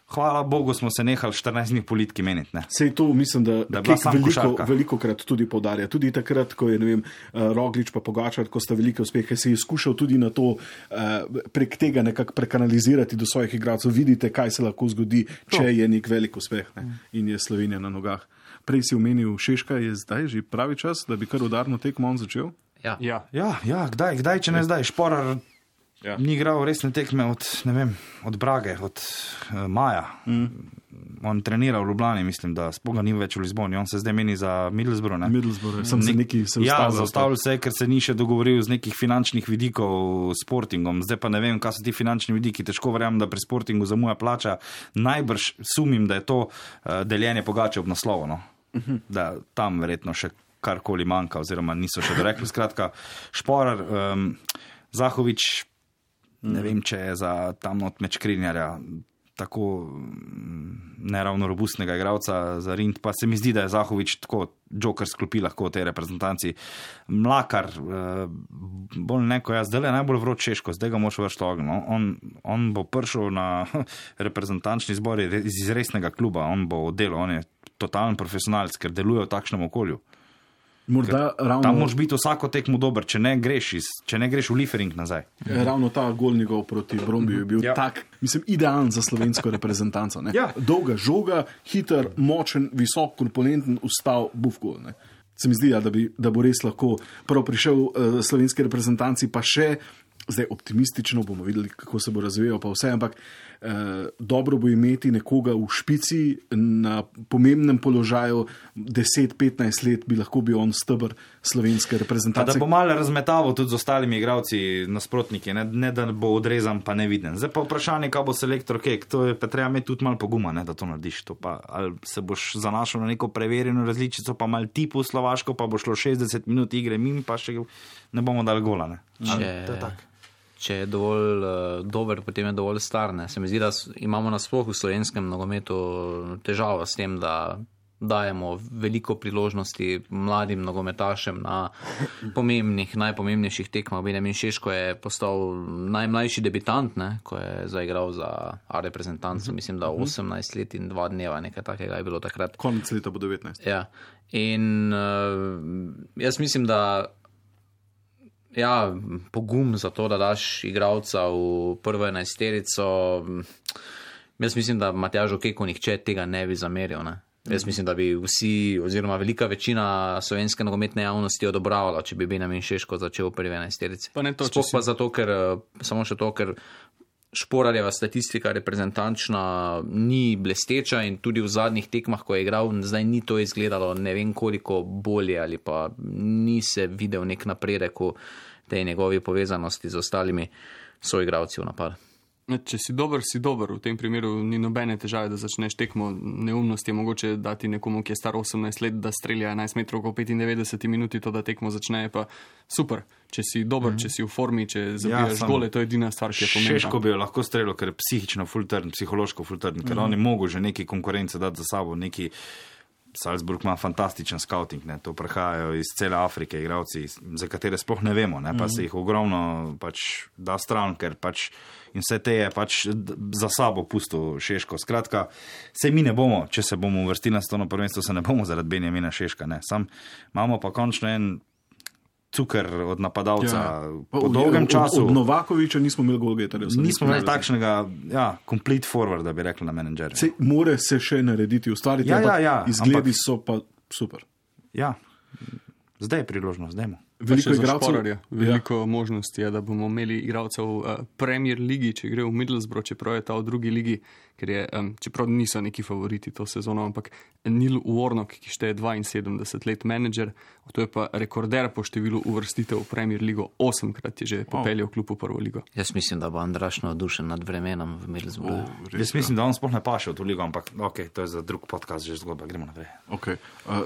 Hvala Bogu smo se nehali 14 dni politiki meniti. Ne. Sej to mislim, da veliko krat tudi poudarja. Tudi takrat, ko je, ne vem, Roglič pa Pogačar, ko sta velike uspehe, se je skušal tudi na to prek tega nekako prekanalizirati do svojih igralcev. Vidite, kaj se lahko zgodi, če je nek velik uspeh, ne, in je Slovenija na nogah. Prej si omenil Šeška, je zdaj že pravi čas, da bi kar udarno tekmo on začel? Ja, kdaj, če ne zdaj, Šporar ni igral resne tekme od Brage, od maja. On trenira v Ljubljani, mislim, da spoga ni več v Lizboni. On se zdaj meni za Middlesbrough, ne? Middlesbrough, sem se neki zaustavil se, ker se ni še dogovoril z nekih finančnih vidikov s Sportingom. Zdaj pa ne vem, kaj so ti finančni vidiki. Težko verjamem, da pri Sportingu zamuja plača. Najbrž sumim, da je to deljenje Pogače ob naslovu, no? Da tam verjetno še karkoli manjka, oziroma niso še dorekli. Skratka, Šporar, Zahovič, ne vem, če je za tam not meč Krinjarja tako neravno robustnega igralca za Rind, pa se mi zdi, da je Zahovič tako joker sklopi lahko v tej reprezentanci. Mlakar, bolj neko jaz, zdaj je najbolj vroč Češko, zdaj ga moš vršiti ogen. On bo prišel na reprezentančni zbor iz resnega kluba, on bo delal, on je totalen profesionalc, ker deluje v takšnem okolju. Tam moraš biti vsako tekmo dober, če ne greš v Liefering nazaj. Ravno ta gol njegov proti Brombiju je bil tak, mislim, idealen za slovensko reprezentanco. Dolga žoga, hiter, močen, visok, korpulenten, ustal bufko. Se mi zdi, da bo res lahko prav prišel slovenski reprezentanci, pa še zdaj optimistično bomo videli, kako se bo razvijal, pa vse, ampak dobro bo imeti nekoga v špici na pomembnem položaju, 10-15 let bi lahko bil on steber slovenske reprezentacije. Da bo malo razmetaval tudi z ostalimi igralci nasprotniki, ne da bo odrezan pa neviden. Zdaj pa vprašanje, kaj bo selektor Kek, to je pa treba imeti tudi malo poguma, ne, da to narediš. To pa, ali se boš zanašal na neko preverjeno različico, pa malo tipu Slovaško, pa bo šlo 60 minut igre mim, pa še ne bomo dali gola. Ne. Če je dovolj dober, potem je dovolj star. Ne. Se mi zdi, da imamo nasploh v slovenskem nogometu težavo s tem, da dajemo veliko priložnosti mladim nogometašem na najpomembnejših tekmah. Benjamin Šeško je postal najmlajši debitant, ne, ko je zaigral za reprezentanco, mislim, da 18 let in 2 dneva, nekaj takega je bilo takrat. Konec leta bo 19. Ja. In jaz mislim, da pogum za to, da daš igralca v prvo 11-terico, jaz mislim, da Matjažu Keku nihče tega ne bi zameril, ne. Jaz mislim, da bi vsi, oziroma velika večina slovenske nogometne javnosti odobravala, če bi Benjamin Šeško začel v prvi 11-terici. Sploh pa zato, ker Šporarjeva statistika reprezentančna ni blesteča in tudi v zadnjih tekmah, ko je igral, zdaj ni to izgledalo ne vem koliko bolje ali pa ni se videl nek napredek v tej njegovi povezanosti z ostalimi soigralci v napadu. Če si dober, si dober. V tem primeru ni nobene težave, da začneš tekmo. Neumnost je mogoče dati nekomu, ki je star 18 let, da strelja 11 metrov v 95 minuti, to da tekmo začne, pa super. Če si dober, če si v formi, če zabijaš gole, to je edina stvar, ki je pomembna. Šeško bi jo lahko strelil, ker je psihično fultrn, psihološko fultrn, ker oni mogo že neki konkurence dati za sabo, neki Salzburg ima fantastičen scouting, ne? To prihajajo iz cele Afrike igralci, za katere sploh ne vemo, ne? Pa se jih ogromno pač da stran, ker pač in vse te je pač za sabo pustil Šeško. Skratka, se mi ne bomo, če se bomo uvrstili na svetovno prvenstvo, se ne bomo zaradi Benjamina Šeška, ne? Sam imamo pa končno en cukr od napadalca po dolgem času. Od Novakoviča nismo imeli golgetarja. Nismo imeli takšnega, complete forward, da bi rekli na menedžerju. More se še narediti, ustvariti, izgledi so pa super. Ja, zdaj je priložnost, zdajmo. Veliko možnosti je, da bomo imeli igralcev v Premier ligi, če gre v Middlesbrough, čeprav je ta v drugi ligi, ker je, čeprav niso neki favoriti to sezono, ampak Neil Warnock, ki šteje 72 let menedžer, to je pa rekorder po številu uvrstitev v Premier ligo, 8-krat je že popeljal klub v prvo ligo. Jaz mislim, da bo Andraš navdušen nad vremenom v Middlesbroughu. Jaz mislim, da on sploh ne paše v to ligo, ampak to je za drug podcast že zgodba, gremo naprej.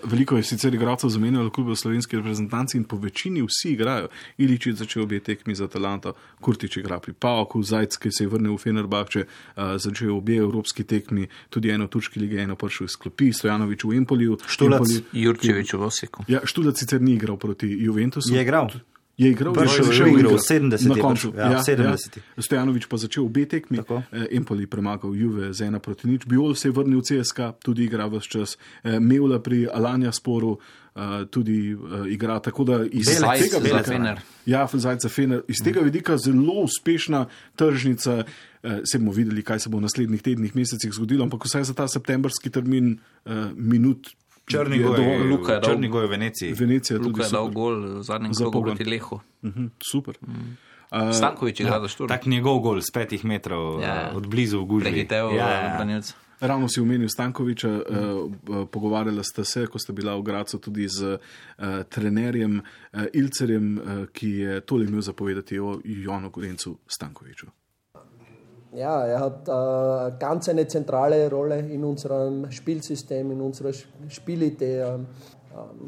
Veliko je sicer igralcev zamenjalo klube v slovenski reprezentanci in po večini vsi igrajo. Iličić začel obe tekmi za Atalanto, Kurtić igra pri PAOK-u, Zajc, ki se je vrnil v Fenerbahče, začel obe evropski tekmi, tudi eno v turški ligi, eno prišel iz klopi, Stojanović v Empoliju. Štulac, Jurčević v Osijeku. Ja, Štulac sicer ni igral proti Juventusu. Je igral. Je igral, še igral, 70. Stojanović pa začel obe tekmi, Empoli premagal Juve z 1-0. Biol se je vrnil v CSKA, tudi igra vse čas. Mevla pri Alanya Sporu tudi igra, tako da iz tega vidika zelo uspešna tržnica. Se bomo videli, kaj se bo v naslednjih tednih, mesecih zgodilo, ampak vsaj za ta septembrski termin minut. Črnigoj v Veneciji. Luka je dal gol v zadnjem krogu proti Lehu. Super. Stanković igra za Šturm. Tak njegov gol z 5 metrov od blizu v gužvi. Prehitev branilca. Ravno si omenil Stankovića, pogovarjala sta se, ko sta bila v Gracu, tudi z trenerjem Ilcerjem, ki je tole imel zapovedati o Jonu Gorencu Stankoviću. Ja, hat ganz eine zentrale Rolle in unserem Spielsystem, in unserer Spielidee.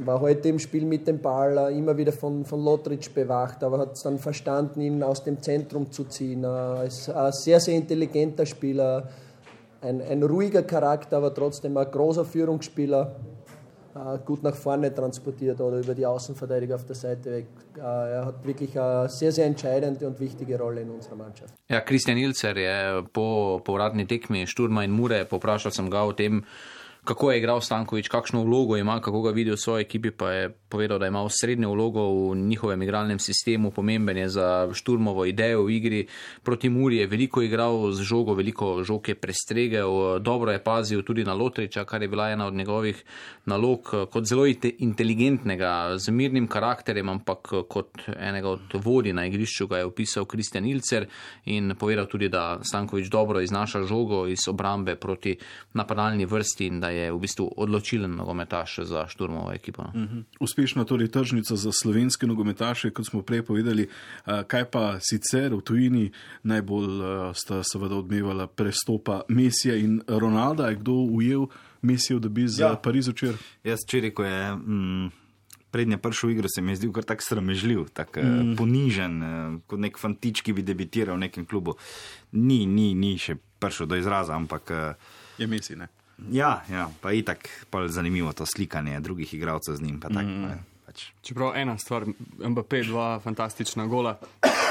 War heute im Spiel mit dem Ball immer wieder von Lotric bewacht, aber hat es dann verstanden, ihn aus dem Zentrum zu ziehen. Ist ein sehr, sehr intelligenter Spieler, ein ruhiger Charakter, aber trotzdem ein großer Führungsspieler. Gut nach vorne transportiert oder über die Außenverteidiger auf der Seite weg. Er hat wirklich eine sehr, sehr entscheidende und wichtige Rolle in unserer Mannschaft. Ja, Kristjan Ilcer je po povratni tekmi Šturma in Mure, poprašal sem ga o tem, kako je igral Stanković, kakšno vlogo ima, kako ga vidi v svoji ekipi, pa je povedal, da ima srednjo vlogo v njihovem igralnem sistemu, pomemben je za Šturmovo idejo v igri. Proti Muri je veliko igral z žogo, veliko žog je prestregel, dobro je pazil tudi na Lotriča, kar je bila ena od njegovih nalog, kot zelo inteligentnega, z mirnim karakterjem, ampak kot enega od vodij na igrišču ga je opisal Kristjan Ilcer in povedal tudi, da Stanković dobro iznaša žogo iz obrambe proti napadalni vrsti in da je v bistvu odločilen nogometaš za Šturmovo ekipo. Uspešna torej tržnica za slovenske nogometaše, kot smo prej povedali. Kaj pa sicer v tujini najbolj sta seveda odmevala prestopa Messija in Ronalda? Je kdo ujel Messijev debi za Pariz včeraj? Jaz včeraj, ko je prednje prišel v igro, se mi je zdel kar tak sramežljiv, tak ponižen, kot nek fantič, ki bi debitiral v nekem klubu. Ni še prišel do izraza, ampak je Messi, ne? Ja, pa itak pa zanimivo to slikanje drugih igralcev z njim, pa tak. Čeprav ena stvar, Mbappé 2 fantastična gola.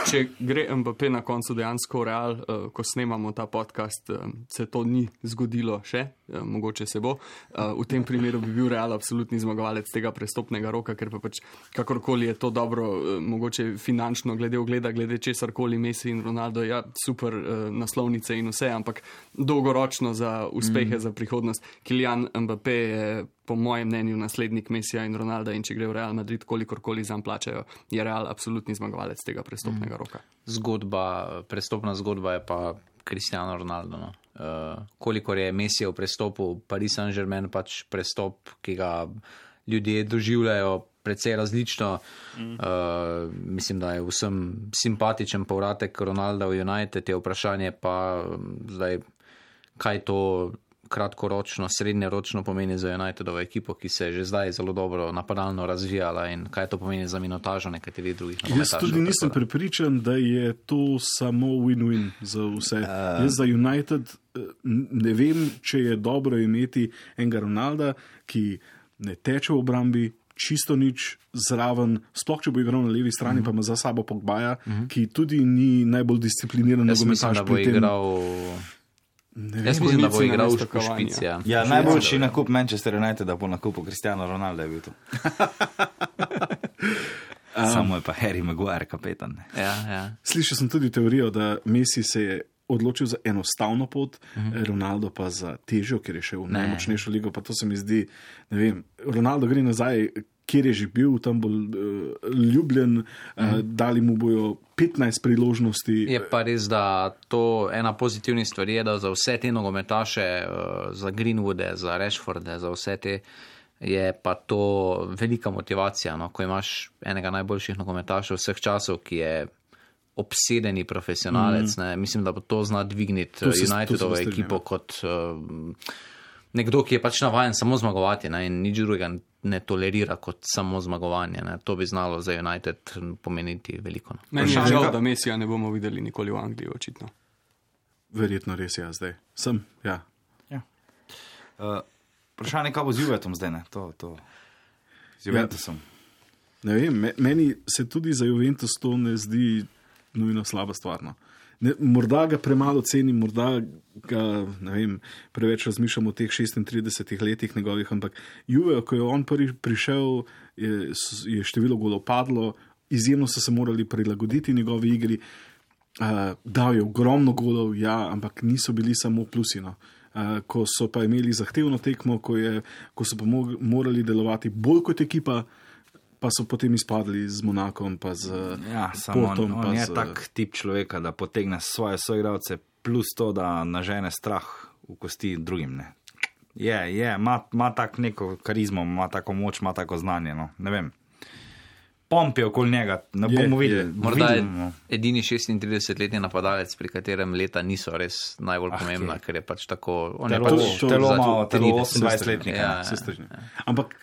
Če gre Mbappé na koncu dejansko v Real, ko snemamo ta podcast, se to ni zgodilo še, mogoče se bo. V tem primeru bi bil Real absolutni zmagovalec tega prestopnega roka, ker pa pač kakorkoli je to dobro, mogoče finančno glede ogleda, glede česarkoli Messi in Ronaldo, ja, super naslovnice in vse, ampak dolgoročno za uspehe, za prihodnost. Kylian Mbappé je po mojem mnenju naslednik Messija in Ronalda in če gre v Real Madrid, kolikorkoli zanj plačajo, je Real absolutni zmagovalec tega prestopnega roka. Prestopna zgodba je pa Cristiano Ronaldo. No. Kolikor je Messijev prestop v Paris Saint-Germain pač prestop, ki ga ljudje doživljajo precej različno. Mislim, da je vsem simpatičen povratek Ronalda v United, je vprašanje pa zdaj, kaj to kratkoročno, srednjeročno pomeni za Unitedovo ekipo, ki se je že zdaj zelo dobro napadalno razvijala in kaj to pomeni za minutažo nekaterih drugih nogometašev. Jaz tudi nisem prepričan, da je to samo win-win za vse. Jaz za United ne vem, če je dobro imeti enega Ronalda, ki ne teče v obrambi, čisto nič zraven, sploh če bo igral na levi strani, pa ima za sabo Pogbaja, ki tudi ni najbolj discipliniran nogometaš pri tem. Jaz mislim, da bo igral v Špici. Ja, najboljši nakup Manchester United, da bo nakupu Cristiano Ronaldo je bil to. Samo je pa Harry Maguire kapetan. Ja. Slišal sem tudi teorijo, da Messi se je odločil za enostavno pot, Ronaldo pa za težjo, ker je šel v najmočnejšo ligo, pa to se mi zdi, ne vem, Ronaldo gre nazaj, kjer je že bil, tam bo ljubljen, dali mu bojo 15 priložnosti. Je pa res, da to ena pozitivnih stvari je, da za vse te nogometaše, za Greenwoode, za Rashforde, za vse te, je pa to velika motivacija, no? Ko imaš enega najboljših nogometašev vseh časov, ki je obsedeni profesionalec, ne? Mislim, da bo to zna dvigniti Unitedovo ekipo kot nekdo, ki je pač navajen samo zmagovati, ne? In nič drugega ne tolerira kot samo zmagovanje. Ne? To bi znalo za United pomeniti veliko. No. Meni je žal, da Messija ne bomo videli nikoli v Angliji, očitno. Verjetno res, ja, zdaj. Sem, ja. Vprašanje, kaj bo z Juventusom zdaj, ne? Z Juventusom. Ne vem, meni se tudi za Juventus to ne zdi nujno slaba stvar. No. Morda ga premalo cenim, morda ga, ne vem, preveč razmišljam o teh 36 letih njegovih, ampak Juve, ko je on prvi prišel, je število golov padlo, izjemno so se morali prilagoditi njegovi igri, dal je ogromno golov, ja, ampak niso bili samo plusi, no. Ko so pa imeli zahtevno tekmo, ko so pa morali delovati bolj kot ekipa, pa so potem izpadli z Monakom, pa z Portom. On je tak tip človeka, da potegne svoje soigralce, plus to, da nažene strah v kosti drugim. Ne. Ima tak neko karizmo, ima tako moč, ima tako znanje, no. Ne vem. Pomp je okoli njega, ne bomo videli. Morda je edini 36-letni napadalec, pri katerem leta niso res najbolj pomembna, ker je pač tako... Telo 28-letnika. Ampak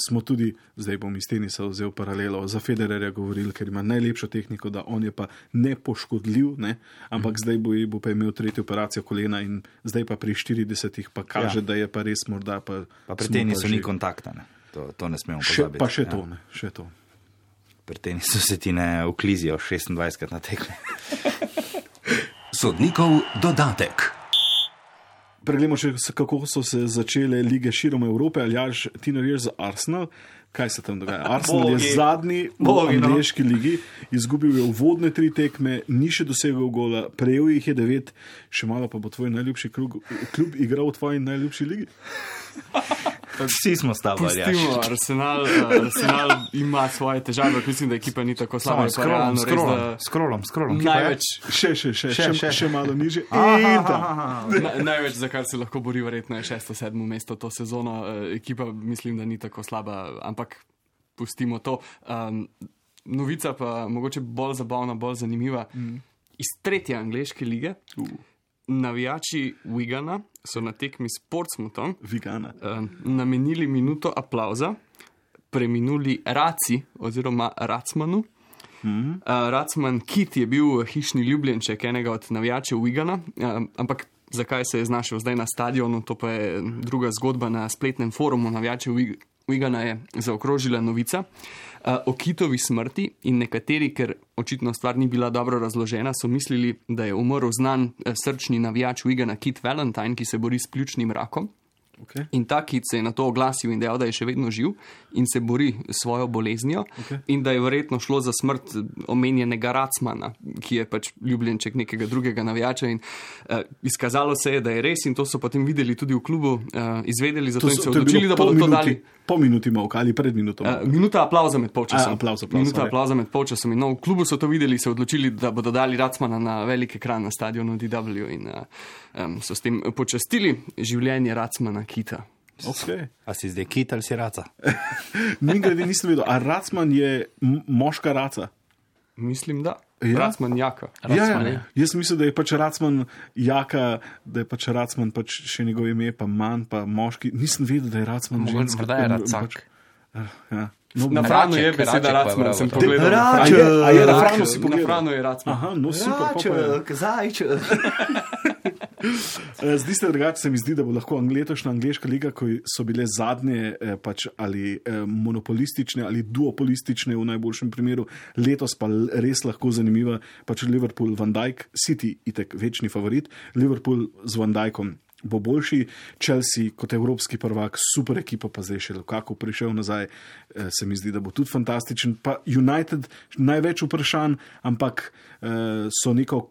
smo tudi, zdaj bom iz tenisa vzel paralelo, za Federerja govorili, ker ima najlepšo tehniko, da on je pa nepoškodljiv, ne? Ampak zdaj bo pa imel tretjo operacijo kolena in zdaj pa pri 40 pa kaže, da je pa res morda pa... Pa pri tenisu ni kontakta, ne? To ne smemo pozabiti. Pa še to, ne? Še to. Pri tenisu se ti ne uklizijo 26 na tekme. Sodnikov dodatek. Preglejmo še, kako so se začele lige širom Evrope. Aljaž, ti navijaš za Arsenal. Kaj se tam dogaja? Arsenal je zadnji v angleški ligi, izgubil je uvodne 3 tekme, ni še dosegel gola, prejel jih je 9, še malo pa bo tvoj najljubši klub igral v tvoji najljubši ligi. Vsi smo stavili. Pustimo, Arsenal ima svoje težave, mislim, da ekipa ni tako slaba. Scrollom. Največ. Še malo niže. Največ, za kar se lahko bori, verjetno je 6-7 mesto to sezono. Ekipa mislim, da ni tako slaba, ampak pustimo to. Novica pa mogoče bolj zabavna, bolj zanimiva. Iz 3. angleške lige navijači Wigana so na tekmi s Portsmouthom namenili minuto aplauza preminuli Raci oziroma Racmanu. Racman Kit je bil hišni ljubljenček enega od navijačev Wigana, ampak zakaj se je znašel zdaj na stadionu, to pa je druga zgodba. Na spletnem forumu navijačev Wigana je zaokrožila novica o Kitovi smrti in nekateri, ker očitno stvar ni bila dobro razložena, so mislili, da je umrl znan srčni navijač Wigana Kit Valentine, ki se bori s pljučnim rakom. Okay. In ta Kit se je na to oglasil in dejal, da je še vedno živ in se bori s svojo boleznijo, in da je verjetno šlo za smrt omenjenega Racmana, ki je pač ljubljenček nekega drugega navijača, in izkazalo se je, da je res, in to so potem videli tudi v klubu, izvedeli, zato in se odločili, da bodo to dali. Po minuti molka ali pred minuto? Minuta aplauza med polčasom. Minuta aplauza med polčasom. In v klubu so to videli, se odločili, da bodo dali Racmana na velik ekran na stadionu DW in so s tem počastili življenje Racmana Kita. Okay. A si zdaj kit ali si raca? Mimogrede nisem vedel, a Racman je moška raca? Mislim, da. Ja. Racman jaka. Jaz mislim, da je pač Racman jaka, da je pač Racman pač še njegovo ime, pa manj, pa moški. Nisem vedel, da je Racman ženska. Morda je Racak. Ja. Na Franu je beseda Racman, sem pogledal. Na Franu si pogledal. Na Franu je Racman. Aha, no super. Zajček. Zdi se drugače, se mi zdi, da bo lahko letošnja angleška liga, ko so bile zadnje pač ali monopolistične ali duopolistične v najboljšem primeru, letos pa res lahko zanimiva, pač Liverpool, Van Dijk, City itek večni favorit, Liverpool z Van Dijkom bo boljši, Chelsea kot evropski prvak, super ekipa, pa zdaj še Lukaku prišel nazaj, se mi zdi, da bo tudi fantastičen, pa United največ vprašanj, ampak so neko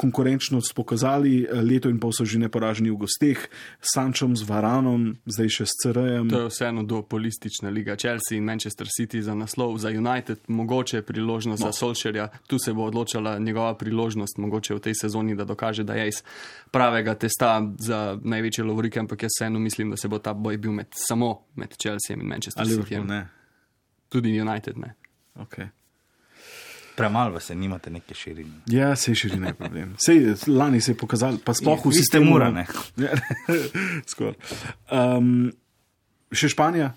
konkurenčnost pokazali, leto in pol so že neporaženi v gosteh, s Sančom, z Varanom, zdaj še s CR-jem. To je vseeno duopolistična liga, Chelsea in Manchester City za naslov, za United mogoče priložnost za Solskjaerja, tu se bo odločala njegova priložnost, mogoče v tej sezoni, da dokaže, da je iz pravega testa za največje lovorike, ampak jaz vseeno mislim, da se bo ta boj bil samo med Chelsea in Manchester City. Tudi United ne. Okay. Premalo se nimate neke širine. Ja, se širine je problem. Lani se je pokazalo, pa sploh v sistemu Mura, ne? Skoro. Še Španija,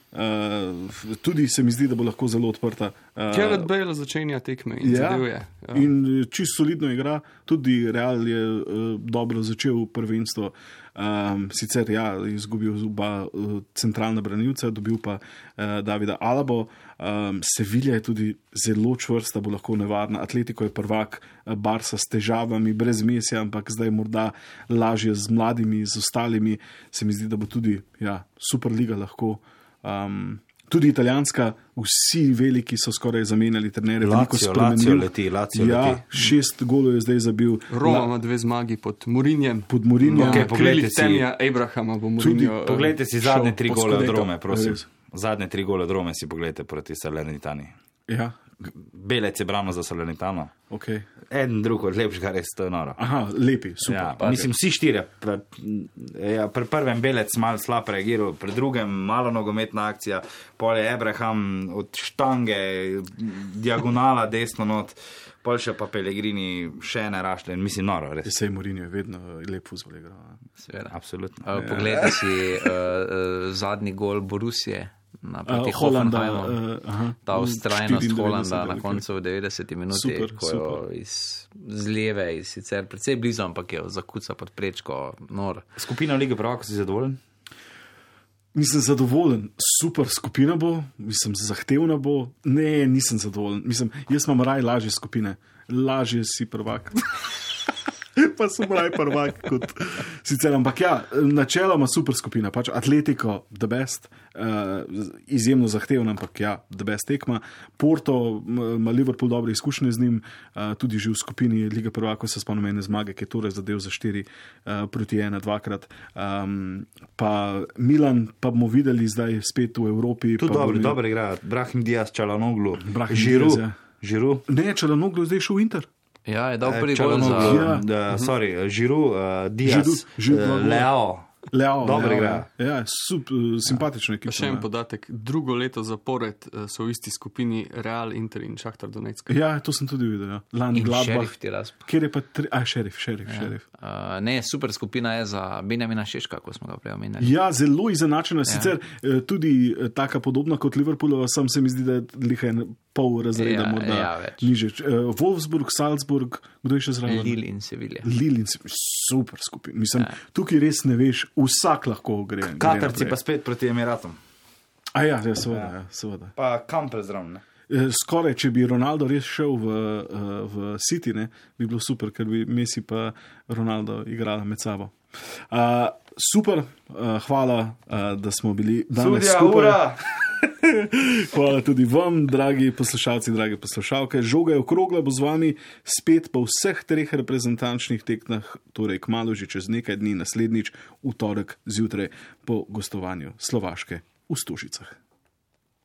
tudi se mi zdi, da bo lahko zelo odprta. Gareth Bale začenja tekme in zadevuje. Ja. In čisto solidno igra, tudi Real je dobro začel prvenstvo. Sicer izgubil oba centralna branilca, dobil pa Davida Alabo. Sevilla je tudi zelo čvrsta, bo lahko nevarna. Atletico je prvak, Barca s težavami, brez mesja, ampak zdaj morda lažje z mladimi, z ostalimi. Se mi zdi, da bo tudi Superliga lahko. Tudi italijanska, vsi veliki so skoraj zamenjali trenere. Lazio leti. 6 golov je zdaj zabil. Roma ima 2 zmagi pod Mourinjem. Poglejte si Abrahama bo Mourinho. Poglejte si zadnje 3 gole od Rome, prosim. Zadnje 3 gole od Rome si pogledajte proti Salernitani. Ja. Belec je brano za Salernitano. Okay. En drug od lepšega, res to je noro. Aha, lepi, super. Ja, mislim, vsi 4. Pri prvem Belec malo slab reagiral, pri drugem malo nogometna akcija, pol je Abraham od štange, diagonala desno not, pol še pa Pellegrini še ne rašle, mislim, noro, res. Sej Mourinho je vedno lep fuzbol igral. Seveda, absolutno. Poglejte si zadnji gol Borussije proti Hoffenheimu, ta ustrajnost Holanda na koncu v 90 minuti, ko jo z leve, sicer precej blizu, ampak je zakuca pod prečko, nor. Skupina Lige prvakov, si zadovoljen? Nisem zadovoljen, super skupina bo, mislim, zahtevna bo, ne, nisem zadovoljen, mislim, jaz imam lažje skupine, lažje si prvak. Pa sem prvak kot sicer, ampak načeloma super skupina, pač Atletico the best, izjemno zahtevna, ampak the best tekma. Porto ima Liverpool dobre izkušnje z njim, tudi že v skupini Lige prvakov se spomnim ene zmage, ki je torej zadev za 4-1 dvakrat. Pa Milan pa bomo videli zdaj spet v Evropi. Tudi dobro igra, Brahim Diaz, Çalhanoğlu, Giroud. Ne, Çalhanoğlu je zdaj šel v Inter. Ja, je dal prvi gol za... Giroud, Diaz, Leao, dobro igra. Ja, simpatično ekipa. Še en podatek, drugo leto zapored so v isti skupini Real, Inter in Šahtar Donetsk. Ja, to sem tudi videl. Ja. In Šerif Tiraspol. Kjer je pa Šerif. Ne, super skupina je za Benjamina Šeška, ko smo ga prej omenjali. Ja, zelo izenačena, sicer tudi taka podobna kot Liverpoolova, sam se mi zdi, da je liha pol razreda morda niže. Wolfsburg, Salzburg, kdo je še zraven? Lille in Sevilla. Super skupina. Mislim, tukaj res ne veš, vsak lahko gre. Katarci pa spet proti Emiratom. Seveda. Pa Kampel zraven, ne? Skoraj, če bi Ronaldo res šel v City, ne, bi bilo super, ker bi Messi pa Ronaldo igrala med sabo. Super, hvala, da smo bili danes skupaj. Hvala tudi vam, dragi poslušalci, dragi poslušalke. Žoga je okrogla, bo z vami spet po vseh 3 reprezentančnih tekmah, torej kmalu že čez nekaj dni, naslednjič v torek zjutraj po gostovanju Slovaške v Stožicah.